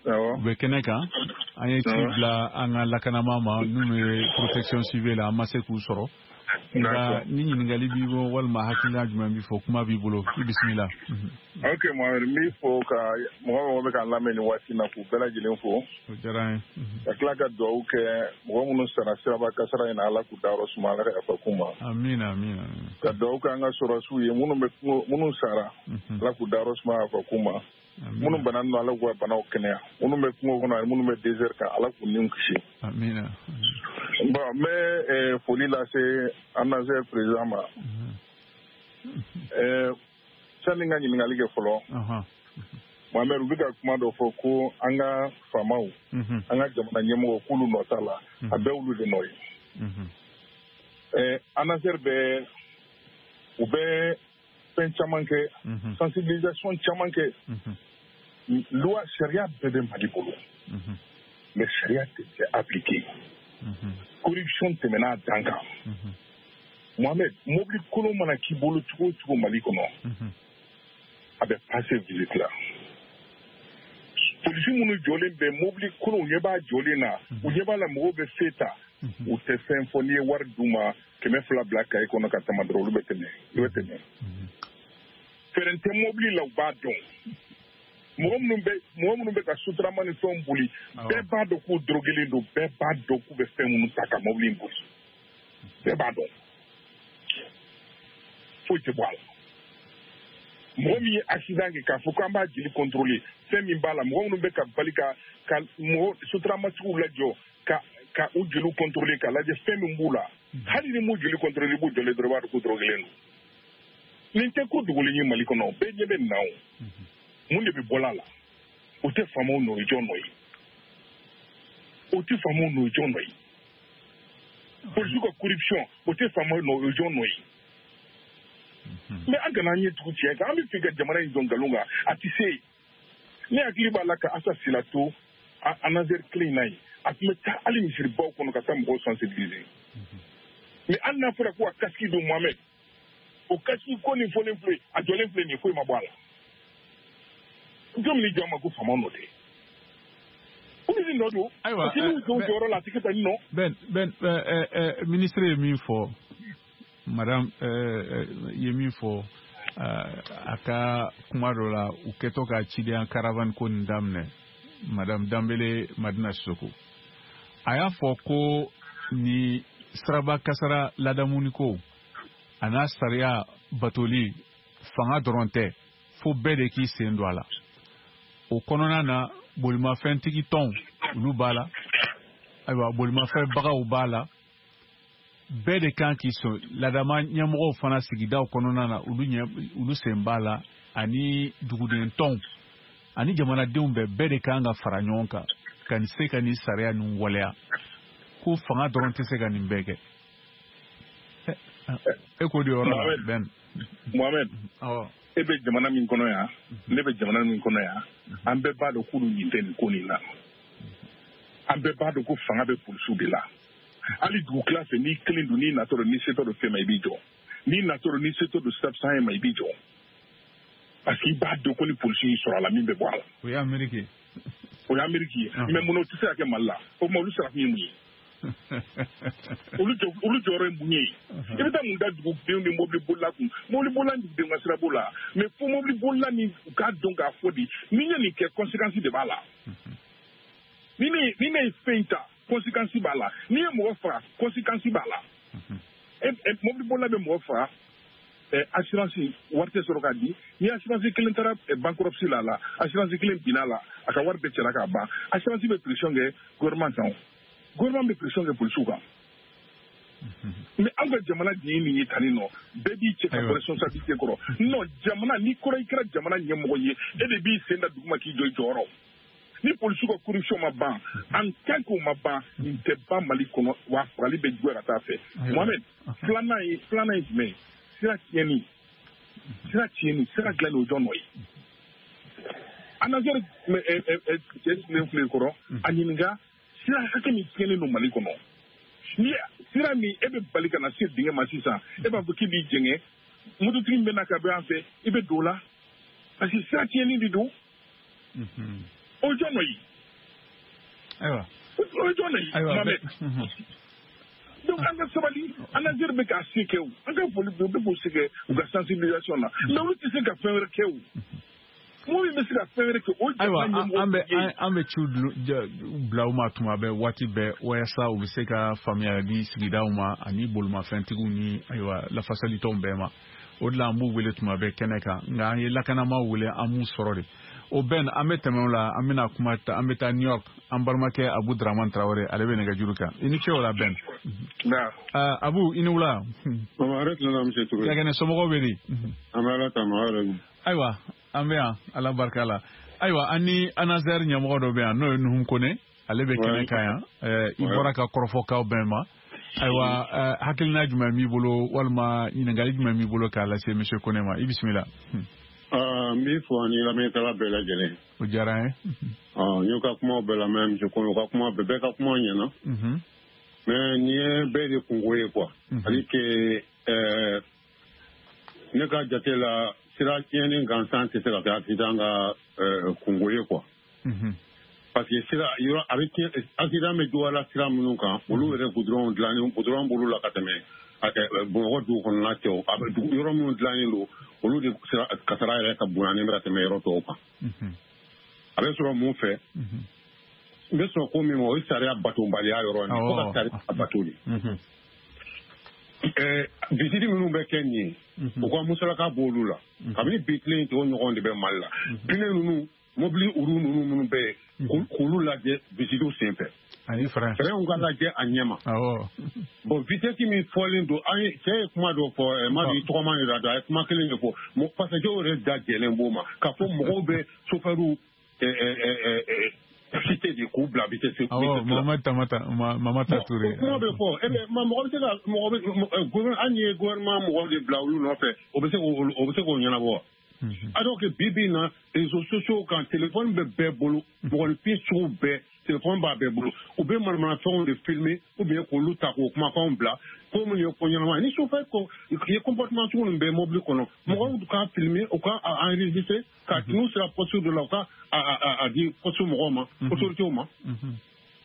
Awɔ. U bɛ kɛnɛ kan. An ye ci bila an ka lakanama ma minnu ye protection civile la, an ma se k'u sɔrɔ. Nka ni ɲininkali b'i bolo walima hakilina jumɛn b'i fɔ, kuma b'i bolo, i bisimila. Ok Mohamed, n b'i fo ka mɔgɔ mɔgɔ bɛ k'an lamɛn nin waati in na, k'u bɛɛ lajɛlen fo. O diyara n ye. Ka tila ka dugawu kɛ mɔgɔ minnu sara siraba kasara in na, Ala k'u dayɔrɔ suma, Ala ka yafa k'u ma. Amiina amiina. Ka dugawu kɛ an ka sɔrɔdasiw ye minnu bɛ minnu sara, Ala k'u dayɔrɔ suma, yafa k'u ma. Minnu bananen don, Ala k'u ka banaw kɛnɛya. Minnu bɛ kungo kɔnɔ ani minnu bɛ désert kan, Ala k'u niw kisi. Amiina. Bon, n bɛ foli lase ANASER président ma. Sani n ka ɲininkali kɛ fɔlɔ, Mohamed, u bɛ ka kuma dɔ fɔ ko an ka faamaw, an ka jamana ɲɛmɔgɔw k'olu nɔ t'a la, a bɛɛ olu de nɔ ye. ANASER bɛ u bɛ fɛn caman kɛ, sensibilisation caman kɛ. Loi, sariya bɛɛ bɛ Mali bolo, mais sariya tɛ kɛ appliqué. Corruption tɛmɛna a dan kan. Mohamed, mobili kolon mana k'i bolo cogo o cogo Mali kɔnɔ, a bɛ passer visite la. Polisi minnu jɔlen bɛ mobili kolon, u ɲɛ b'a jɔlen na, u ɲɛ b'a la mɔgɔw bɛ fe ta, u tɛ fɛn fɔ. N'i ye wari d'u ma, kɛmɛ fila bila kaye kɔnɔ ka tama dɔrɔn, olu bɛ tɛmɛ, i bɛ tɛmɛ. Fɛɛrɛ tɛ mobili la, u b'a dɔn. Mɔgɔ minnu bɛ mɔgɔ minnu bɛ ka sotarama ni fɛnw boli, bɛɛ b'a dɔn k'u dorogelen don, bɛɛ b'a dɔn k'u bɛ fɛn minnu ta ka mobili in boli, bɛɛ b'a dɔn. Foyi tɛ bɔ a la. Mɔgɔ min ye accident kɛ k'a fɔ k'an b'a jeli contrôler, fɛn min b'a la, mɔgɔ minnu bɛ ka bali ka ka mɔgɔ sotaramatigiw lajɔ ka ka u jeliw contrôler k'a lajɛ fɛn min b'u la, hali ni m'u jeli contrôler, i b'u jɔlen dɔrɔn i b'a dɔn ko dɔrɔgelen don. Nin tɛ ko dogolen ye Mali kɔnɔ, bɛɛ ɲɛ bɛ nin na o. Mun de bɛ bɔ a la? O tɛ faamaw nɔ ye, jɔn nɔ ye? O tɛ faamaw nɔ ye, jɔn nɔ ye? Polisiw ka corruption, o tɛ faamaw nɔ ye, jɔn nɔ ye? Mais an kana an ɲɛ tugu tiɲɛ kan, an bɛ fɛ ka jamana in jɔ nkalon kan, a tɛ se. Ne hakili b'a la ka Asa Sila to ANASER kelen in na yen, a tun bɛ taa hali misiribaw kɔnɔ ka taa mɔgɔw sensibiliser. Mais hali n'a fɔra ko ka casque don Mohamed, o casque ko nin fɔlen filɛ, a jɔlen filɛ nin ye, foyi ma bɔ a la. Jɔn min jɔ ma ko faamaw nɔ tɛ. Olu de nɔ don. Ayiwa, parce que n'u jɔ u jɔyɔrɔ la, a tɛ kɛ tan nɔ. Ben Ben ministre ye min fɔ, madame ye min fɔ a ka kuma dɔ la, u kɛtɔ ka cidenya caravane ko nin daminɛ, madame Danbele Madina Sissoko, a y'a fɔ ko ni siraba kasara ladamuni ko a n'a sariya batoli fanga dɔrɔn tɛ, fo bɛɛ de k'i sen don a la. O kɔnɔna na, bolimafɛntigi tɔnw olu b'a la, ayiwa bolimafɛnbagaw b'a la, bɛɛ de kan k'i sɔn. Ladama ɲɛmɔgɔw fana sigidaw kɔnɔna na, olu ɲɛ olu sen b'a la, ani duguden tɔnw ani jamanadenw bɛɛ, bɛɛ de kan ka fara ɲɔgɔn kan ka nin se ka nin sariya ninnu waleya. Ko fanga dɔrɔn tɛ se ka nin bɛɛ kɛ. E k'o de yɔrɔ la Ben. Mohamed, e bɛ jamana min kɔnɔ yan, ne bɛ jamana min kɔnɔ yan, an bɛɛ b'a dɔn k'olu ɲin tɛ nin ko nin na. An bɛɛ b'a dɔn ko fanga bɛ polisiw de la. Hali dugukila fɛ, n'i kelen don, n'i natɔ don, n'i setɔ don fɛn ma, i b'i jɔ. N'i natɔ don, n'i setɔ don stop sign ma, i b'i jɔ. Parce que i b'a dɔn ko ni polisi y'i sɔrɔ a la, min bɛ bɔ a la. O ye Amérique ye. O ye Amérique ye. Mais mun na o tɛ se ka kɛ Mali la? O tuma olu sara kun ye mun ye? Olu jɔ olu jɔyɔrɔ ye mun ye? I bɛ taa mun da dugudenw ni mobili bolila kun? Mobili bolila ni dugudenw ka sira b'o la. Mais fo mobili bolila ni u k'a dɔn k'a fɔ de, ni n ye nin kɛ, conséquence de b'a la. Ni ne ni ne ye fɛn ta, conséquence b'a la. N'i ye mɔgɔ faga, conséquence b'a la. Mobili bolila bɛ mɔgɔ faga, assurance wari tɛ sɔrɔ k'a di. Ni assurance kelen taara bankruptcy la la, assurance kelen binna la, a ka wari bɛɛ cɛla k'a ban. Assurance bɛ pression kɛ gouvernement kan, gouvernement bɛ pression kɛ polisiw kan. Mais an ka jamana de ye nin ye tan nɔ, bɛɛ b'i cɛ ka bɔ responsabilité kɔrɔ. Non, jamana n'i kɔrɔ i kɛra jamana ɲɛmɔgɔ ye, e de b'i sen da duguma k'i jɔ i jɔyɔrɔ. Ni polisiw ka corruption ma ban, en tant que o ma ban, nin tɛ ban Mali kɔnɔ, wa fagali bɛ juguya ka taa fɛ. Mohamed, filanan ye filanan ye jumɛn ye? Sira tiɲɛni, sira tiɲɛni, sira dilanni, o jɔn nɔ ye? ANASER cɛ sigilen filɛ kɔrɔ, a ɲininka sira hakɛ min tiɲɛnen don Mali kɔnɔ. Ni sira min e bɛ bali ka na se dingɛ ma sisan, e b'a fɔ k'i b'i jɛngɛ, mototigi min bɛ na ka bɔ yan fɛ, i bɛ don o la, parce que sira tiɲɛni de don. O jɔn nɔ ye? Ayiwa, o jɔn nɔ ye? Mohamed, donc an ka sabali, ANASER bɛ k'a se kɛ o, an ka foli bɛ u bɛ k'o se kɛ u ka sensibilisation na, mais olu tɛ se ka fɛn wɛrɛ kɛ o. Mɔgɔ min bɛ se ka fɛn wɛrɛ kɛ o. Ayiwa, an bɛ an bɛ ciw bila u ma tuma bɛɛ, waati bɛɛ, walasa u bɛ se ka faamuya di sigidaw ma ani bolimafɛntigiw ni ayiwa lafasalitɔnw bɛɛ ma. O de la an b'u wele tuma bɛɛ kɛnɛ kan, nka an ye lakanamaw wele, an m'u sɔrɔ de. O bɛn, an bɛ tɛmɛ o la, an bɛna kuma ta, an bɛ taa New York, an balimakɛ Abu Dramane Traoré, ale bɛ nɛgɛjuru kan. I ni ce o la Ben. Abu, i ni wula. Kɛnɛ somɔgɔw bɛ di? An bɛ Ala tanu, aw yɛrɛ dun? Ayiwa, an bɛ yan, Ala barika la. Ayiwa, an ni ANASER ɲɛmɔgɔ dɔ bɛ yan, n'o ye Nuhun Kone, ale bɛ kɛnɛ kan yan. I bɔra ka kɔrɔfɔkaw bɛn ma. Ayiwa, hakilina jumɛn b'i bolo, walima ɲininkali jumɛn b'i bolo k'a lase monsieur Kone ma? I bisimila. N b'i fo ani lamɛnnikɛla bɛɛ lajɛlen. O diyara n ye. N y'u ka kumaw bɛɛ lamɛn, monsieur Kone, u ka kuma bɛɛ, bɛɛ ka kuma ɲɛna. Mais nin ye bɛɛ de kungo ye quoi. C'est-à-dire que ne ka jate la, sira tiɲɛni gansan tɛ se ka kɛ accident ka kungo ye quoi. Parce que sira yɔrɔ a bɛ tiɲɛ, accident bɛ juguya la sira minnu kan, olu yɛrɛ goudron dilannen, goudron b'olu la ka tɛmɛ Bamakɔ dugu kɔnɔna tɛ o. A bɛ dugu yɔrɔ minnu dilannen don, olu de sira kasara yɛrɛ ka bonyanen bɛ ka tɛmɛ yɔrɔ tɔw kan. A bɛ sɔrɔ mun fɛ? N bɛ sɔrɔ ko min ma, o ye sariya batobaliya yɔrɔ ye. Fo ka sariya bato de. Visite minnu bɛ kɛ nin ye, u ka musalaka b'olu la. Kabini bi tile in tɔgɔ ɲɔgɔn de bɛ Mali la. Pneu ninnu, mobili uru ninnu minnu bɛ yen, k'olu lajɛ visitew senfɛ. Ani frein. Freinw ka lajɛ a ɲɛ ma. Awɔ. Bon, vitesse min fɔlen don, an ye cɛ ye kuma dɔ fɔ, ma di tɔgɔma de la, a ye kuma kelen de fɔ. Passager yɛrɛ da jɛlen b'o ma k'a fɔ mɔgɔw bɛ chauffeur cité de k'u bila vitesse. Awɔ, Mohamed Tamata, Mamata Touré. Kuma bɛ fɔ, e bɛ mɔgɔ bɛ se ka mɔgɔ bɛ hali n'i ye gouvernement mɔgɔw de bila olu nɔfɛ, o bɛ se k'o o bɛ se k'o ɲɛnabɔ wa? Alors que bi bi in na, réseaux sociaux kan, téléphone bɛ bɛɛ bolo, mɔgɔninfin sugu bɛɛ téléphone b'a bɛɛ bolo, u bɛ manamanafɛnw de filmer ou bien k'olu ta k'o kumakanw bila ko minnu ye ko ɲɛnama ye. Ni chauffeur ko i ye comportement sugu ninnu bɛ mobili kɔnɔ, mɔgɔw k'a filmer, u ka enregistrer, ka n'u sera poste dɔ la, u ka a di poste mɔgɔw ma, autorités ma.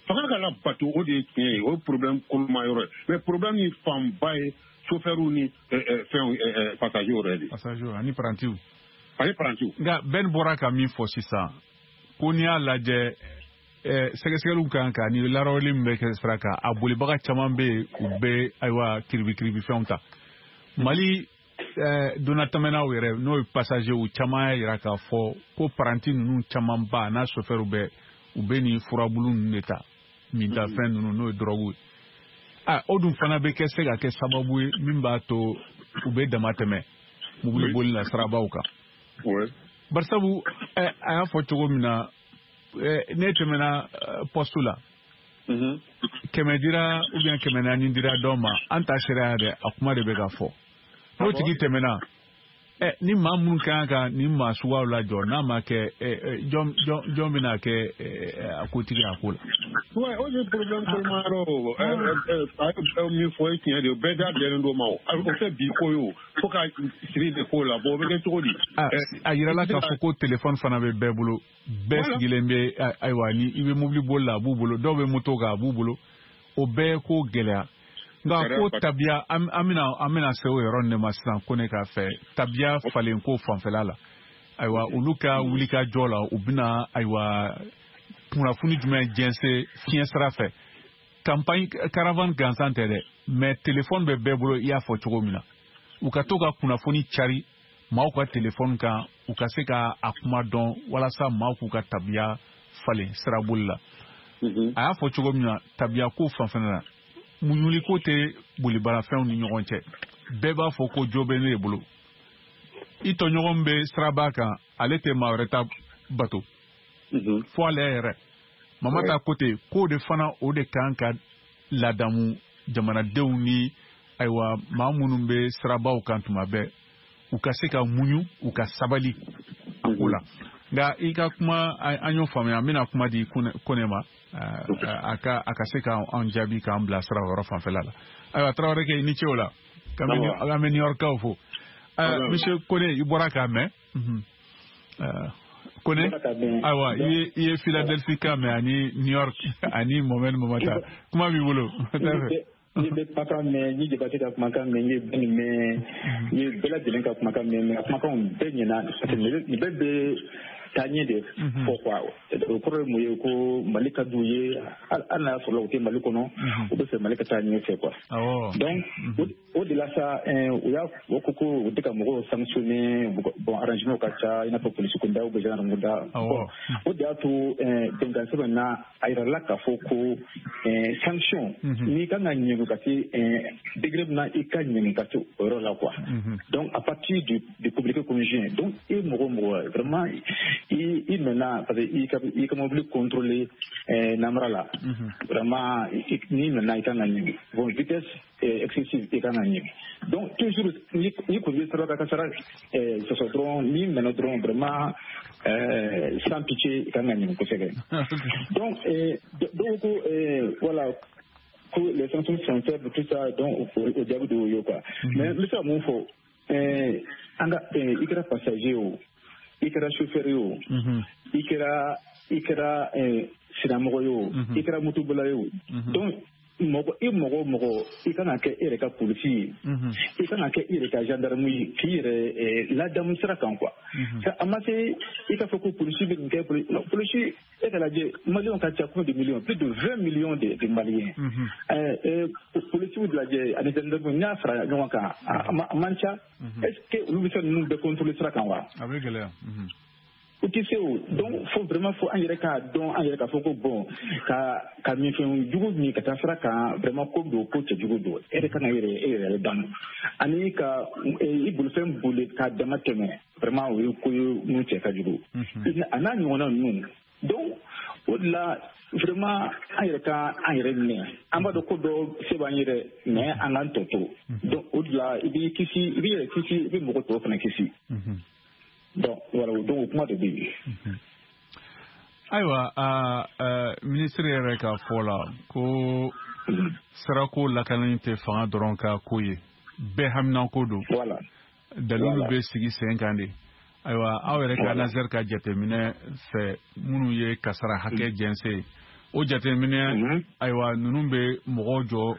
Fanga ka labato, o de ye tiɲɛ ye, o ye problème koloma yɔrɔ ye. Mais problème ni fanba ye chauffeur ni fɛnw passager yɛrɛ de. Passager ani parantiw. Ani parantiw. Nka Ben bɔra ka min fɔ sisan, ko n'i y'a lajɛ, sɛgɛsɛgɛliw kan ka ni laraweli min bɛ kɛ sira kan, a bolibaga caman bɛ yen, u bɛ ayiwa kiribi kiribi fɛnw ta. Mali donnatɛmɛnaw yɛrɛ, n'o ye passager, caman y'a jira k'a fɔ ko paranti ninnu camanba n'a chauffeur bɛ, u bɛ nin furabulu ninnu de ta, mintafɛn ninnu, n'o ye drogue ye. A o dun fana bɛ kɛ se ka kɛ sababu ye min b'a to u bɛ dama tɛmɛ mobili boli la sirabaw kan. Barisabu a y'a fɔ cogo min na, ne tɛmɛna poste la, kɛmɛ dira ou bien kɛmɛ naani dira dɔ ma, an ta sera dɛ, a kuma de bɛ ka fɔ. N'o tigi tɛmɛna, ni maa minnu ka kan ka nin maa suguyaw lajɔ, n'a ma kɛ, jɔn jɔn bɛna kɛ a kotigi a ko la? Ouais, o de problème koloma yɔrɔ o, min fɔ ye tiɲɛ de ye, bɛɛ da jɛlen d'o ma o. O tɛ bi ko ye o, fo ka siri de k'o la. Bon, o bɛ kɛ cogo di? A yirala k'a fɔ ko téléphone fana bɛ bɛɛ bolo, bɛɛ sigilen bɛ, ayiwa, ni i bɛ mobili boli la, a b'u bolo, dɔw bɛ moto kan, a b'u bolo, o bɛɛ ko gɛlɛya. Nka ko tabiya, an bɛna an bɛna se o yɔrɔ de ma sisan, ko ne k'a fɛ tabiya falen ko fanfɛla la, ayiwa, olu ka wulikajɔ la, u bɛna ayiwa kunnafoni jumɛn jɛnsɛn fiɲɛ sira fɛ? Campagne caravane gansan tɛ dɛ, mais téléphone bɛ bɛɛ bolo, i y'a fɔ cogo min na, u ka to ka kunnafoni cari maaw ka téléphone kan, u ka se ka a kuma dɔn walasa maaw k'u ka tabiya falen siraboli la. A y'a fɔ cogo min na, tabiya ko fanfɛla la, muɲuli ko tɛ bolibarafɛnw ni ɲɔgɔn cɛ. Bɛɛ b'a fɔ ko jo bɛ ne de bolo. I tɔɲɔgɔn bɛ siraba kan, ale tɛ maa wɛrɛ ta bato fo ale yɛrɛ. Mamata ko ten, k'o de fana o de kan ka ladamu jamanadenw ni ayiwa maa minnu bɛ sirabaw kan tuma bɛɛ, u ka se ka muɲu, u ka sabali a ko la. Nka i ka kuma an y'o faamuya, an bɛna kuma di Kone ma, a ka a ka se k'an jaabi k'an bilasira o yɔrɔ fanfɛla la. Ayiwa, Tarawele kɛ, i ni ce o la. An bɛ New York-kaw fo. Monsieur Kone, i bɔra k'a mɛn. Kone, ayiwa, i ye i ye Philadelphie kan mɛn ani New York ani Mohamed Mamata. Kuma b'i bolo. N ye bɛ kumakan mɛn, n ye Jabate ka kumakan mɛn, n ye Ben mɛn, n ye bɛɛ lajɛlen ka kumakan mɛn, mais a kumakanw bɛɛ ɲɛna, parce que nin bɛɛ bɛ taa ɲɛ de fɔ quoi. O kɔrɔ ye mun ye? Ko Mali ka d'u ye, hali n'a y'a sɔrɔ u tɛ Mali kɔnɔ, u bɛ fɛ Mali ka taa ɲɛfɛ quoi. Donc o de la sa, u y'a o ko ko u tɛ ka mɔgɔw sanctionner. Bon, arrangement ka ca, i n'a fɔ polisi kunda ou bien gendarme kunda. Bon, o de y'a to bɛnkan sɛbɛn na, a yirala k'a fɔ ko sanction, n'i kan ka ɲɛŋɛ ka se degré min na, i ka ɲɛŋɛ ka se o yɔrɔ la quoi. Donc à partir du du communiqué conjoint, donc e mɔgɔ mɔgɔ vraiment i i nana parce que i ka i ka mobili contrôler namara la, vraiment n'i nana, i kan ka ɲɛŋɛ. Bon, vitesse excessive, i kan ka ɲɛŋɛ. Donc toujours ni ni kun bɛ sira kasara sɔsɔ dɔrɔn, n'i nana dɔrɔn, vraiment sans pitié, i kan ka ɲɛŋɛ kosɛbɛ. Donc dɔw ko voilà que les sanctions sont faibles, tout ça, donc o jaabi de y'o ye quoi. Mais n bɛ se ka mun fɔ? An ka i kɛra passager o, i kɛra chauffeur ye o, i kɛra i kɛra sinamɔgɔ ye o, i kɛra motobolila ye o, donc Mɔgɔ i mɔgɔ o mɔgɔ i kan ka kɛ e yɛrɛ ka polisi ye, i kan ka kɛ i yɛrɛ ka gendarme ye, k'i yɛrɛ ladamu sira kan quoi. A ma se i ka fɔ ko polisi bɛ nin kɛ, polisi e ka lajɛ maliyɛnw ka ca combien de millions, plus de vingt millions de de maliens. Polisiw lajɛ ani gendarme n'i y'a fara ɲɔgɔn kan a man ca. Est ce que olu bɛ se ninnu bɛɛ contrôler sira kan wa? A bɛ gɛlɛya. O tɛ se o. Donc fo vraiment fo an yɛrɛ k'a dɔn, an yɛrɛ k'a fɔ ko bon ka ka minfɛn jugu min ka taa sira kan, vraiment ko don, ko cɛjugu don. E yɛrɛ kan ka yɛrɛ e yɛrɛ damu ani ka i bolifɛn boli k'a dama tɛmɛ, vraiment o ye ko ye mun cɛ ka jugu, a n'a ɲɔgɔnna ninnu. Donc o de la vraiment an yɛrɛ ka an yɛrɛ minɛ, an b'a dɔn ko dɔ se b'an yɛrɛ, mais an k'an tɔ to. Donc o de la i b'i kisi, i b'i yɛrɛ kisi, i bɛ mɔgɔ tɔw fana kisi. Donc voilà, donc o kuma de bɛ yen. Ayiwa, minisiri yɛrɛ ka fɔ la ko sirako lakanani tɛ fanga dɔrɔn ka ko ye, bɛɛ haminanko don. Voilà. Dalilu bɛ sigi sen kan de. Ayiwa, aw yɛrɛ ka ANASER ka jateminɛ fɛ minnu ye kasara hakɛ jɛnsɛn, o jateminɛ ayiwa ninnu bɛ mɔgɔw jɔ,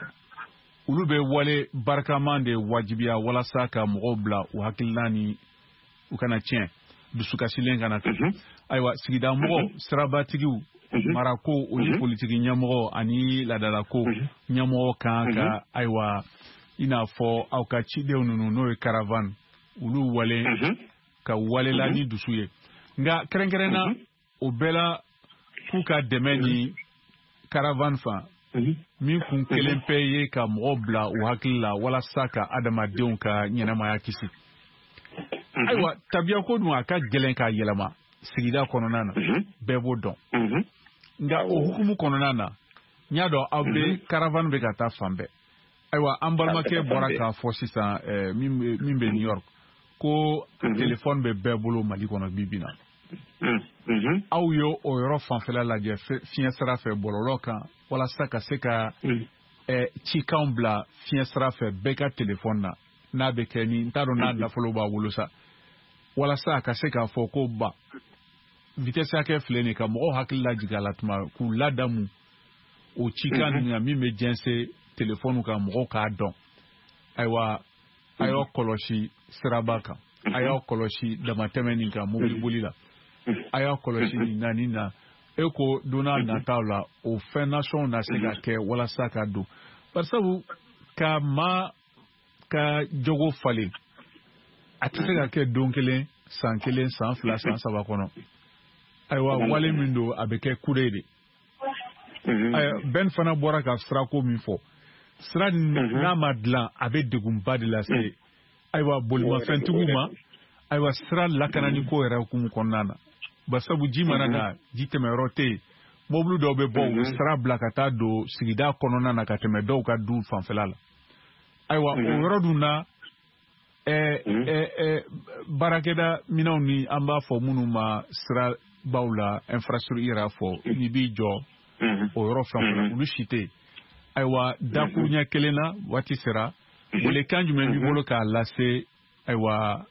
olu bɛ wale barikama de wajibiya walasa ka mɔgɔw bila u hakilina ni u kana tiɲɛ, dusukasilen kana kɛ. Ayiwa, sigida mɔgɔw, sirabatigiw, marako o ni politiki ɲɛmɔgɔ ani laadalako ɲɛmɔgɔ kan ka ayiwa i n'a fɔ aw ka cidenw ninnu n'o ye caravane, olu wale ka walela ni dusu ye. Nka kɛrɛnkɛrɛnna o bɛɛ la k'u ka dɛmɛ ni caravane fan min kun kelen pe ye ka mɔgɔw bila u hakili la walasa ka adamadenw ka ɲɛnamaya kisi. Ayiwa, tabiya ko dun a ka gɛlɛn k'a yɛlɛma sigida kɔnɔna na, bɛɛ b'o dɔn. Nka o hukumu kɔnɔna na, n y'a dɔn aw bɛ caravane bɛ ka taa fan bɛɛ. Ayiwa, an balimakɛ bɔra k'a fɔ sisan min bɛ New York ko telefɔni bɛ bɛɛ bolo Mali kɔnɔ bi bi in na. Aw ye o yɔrɔ fanfɛla lajɛ fiɲɛ sira fɛ bɔlɔlɔ kan walasa ka se ka cikanw bila fiɲɛ sira fɛ bɛɛ ka telefɔni na, n'a bɛ kɛ ni n t'a dɔn n'a nafolo b'a bolo sa, walasa a ka se k'a fɔ ko ba vitesse hakɛ filɛ nin ka mɔgɔw hakili lajigin a la tuma k'u ladamu o cikan nin kan min bɛ jɛnsɛn telefɔni kan mɔgɔw k'a dɔn. Ayiwa, a y'aw kɔlɔsi siraba kan, a y'aw kɔlɔsi damatɛmɛ nin kan mobiliboli la, a y'aw kɔlɔsi nin na nin na. E ko don n'a nataw la o fɛn nasɔnw na se ka kɛ walasa ka don, barisabu ka maa ka jogo falen a tɛ se ka kɛ don kelen, san kelen, san fila, san saba kɔnɔ. Ayiwa, wale min don a bɛ kɛ kure de. Ben fana bɔra ka sirako min fɔ, sira n'a ma dilan a bɛ degunba de lase ayiwa bolimafɛntigiw ma, ayiwa sira lakanani ko yɛrɛ hukumu kɔnɔna na, barisabu ji mana na ji tɛmɛyɔrɔ tɛ yen, mobili dɔw bɛ bɔ u bɛ sira bila ka taa don sigida kɔnɔna na ka tɛmɛ dɔw ka du fanfɛla la. Ayiwa, o yɔrɔ dun na baarakɛda minɛnw ni an b'a fɔ minnu ma sirabaw la infrastructure yɛrɛ fɔ n'i b'i jɔ o yɔrɔ fɛn fɛn olu si tɛ yen. Ayiwa, dakuruɲɛ kelen na waati sera, welekan jumɛn b'i bolo k'a lase ayiwa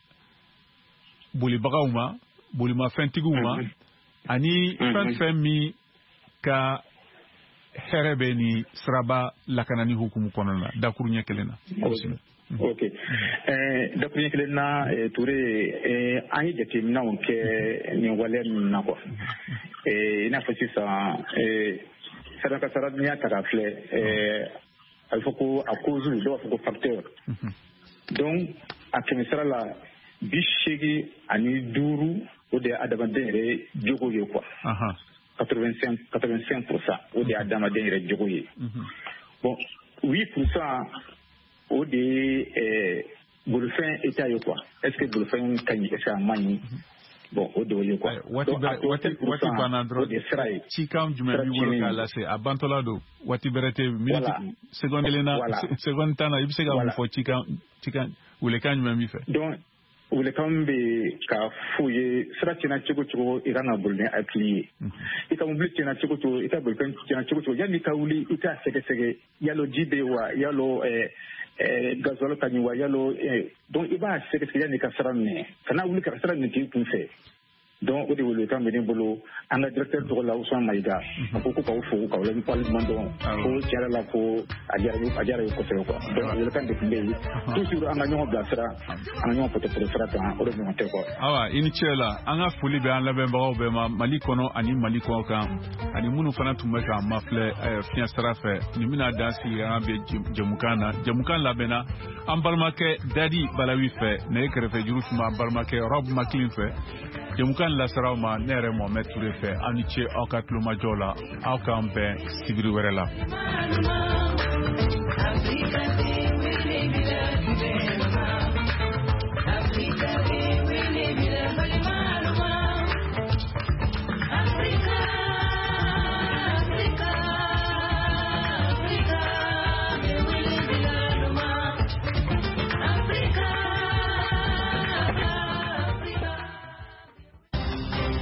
bolibagaw ma, bolimafɛntigiw ma, ani fɛn fɛn min ka hɛrɛ bɛ ni siraba lakanani hukumu kɔnɔna na dakuruɲɛ kelen na? Ok, dakuruɲɛ kelen na Toure, an ye jateminɛw kɛ nin waleya ninnu na quoi. I n'a fɔ sisan sira kasara n'i y'a ta k'a filɛ, a bɛ fɔ ko a cause, dɔw b'a fɔ ko facteur. Donc a kɛmɛ sira la bi seegin ani duuru o de ye adamaden yɛrɛ jogo ye quoi. quatre-vingt-cinq pour cent o de ye adamaden yɛrɛ jogo ye. Bon, huit pour cent o de ye bolifɛn état ye quoi. Est-ce que bolifɛn ka ɲi, est-ce que a man ɲi? Bon, o de ye quoi. Waati waati banna dɔrɔn, cikan jumɛn b'i bolo k'a lase a bantɔla don, waati bɛrɛ tɛ, minute seconde kelen na, seconde tan na, i bɛ se ka mun fɔ cikan cikan welekan jumɛn b'i fɛ? Donc welekan bɛ k'a f'u ye, sira tiɲɛna cogo cogo i kan ka boli ni hakili ye, i ka mobili tiɲɛna cogo cogo, i ka bolifɛn tiɲɛna cogo cogo, yanni i ka wuli i k'a sɛgɛsɛgɛ, yalo ji bɛ yen wa, yalo gasoil ka ɲi wa, yalo, donc i b'a sɛgɛsɛgɛ yanni i ka sira minɛ, kana wuli ka sira minɛ k'i kun fɛ. Donc o de welekan bɛ ne bolo an ka directeur tɔgɔ la, Ousmane Maïga. A ko ko k'aw fo, k'aw waleɲuman dɔn, ko tiɲɛ yɛrɛ la ko a diyara a diyara ye kosɛbɛ quoi. Donc welekan de tun bɛ yen toujours, an ka ɲɔgɔn bilasira, an ka ɲɔgɔn pɔtɔpɔtɔ sira kan, o de ɲɔgɔn tɛ quoi. Awa, i ni ce la. An ka foli bɛ an lamɛnbagaw bɛɛ ma Mali kɔnɔ ani Mali kɔ kan, ani minnu fana tun bɛ k'an mafilɛ fiɲɛ sira fɛ. Nin bɛna dan sigi an bɛ jɛmukan na. Jɛmukan labɛnna an balimakɛ Dadi Balawi fɛ, nɛgɛ kɛrɛfɛ juru tun b'an balimakɛ Rob Maclean fɛ. Jɛmukan laseraw ma ne yɛrɛ Mohamed Touré fɛ. Aw ni ce aw ka tulomajɔ la. Aw k'an bɛn sibiri wɛrɛ la.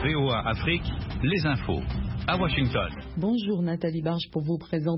V O A Afrique, les infos, à Washington. Bonjour, Nathalie Barge pour vous présenter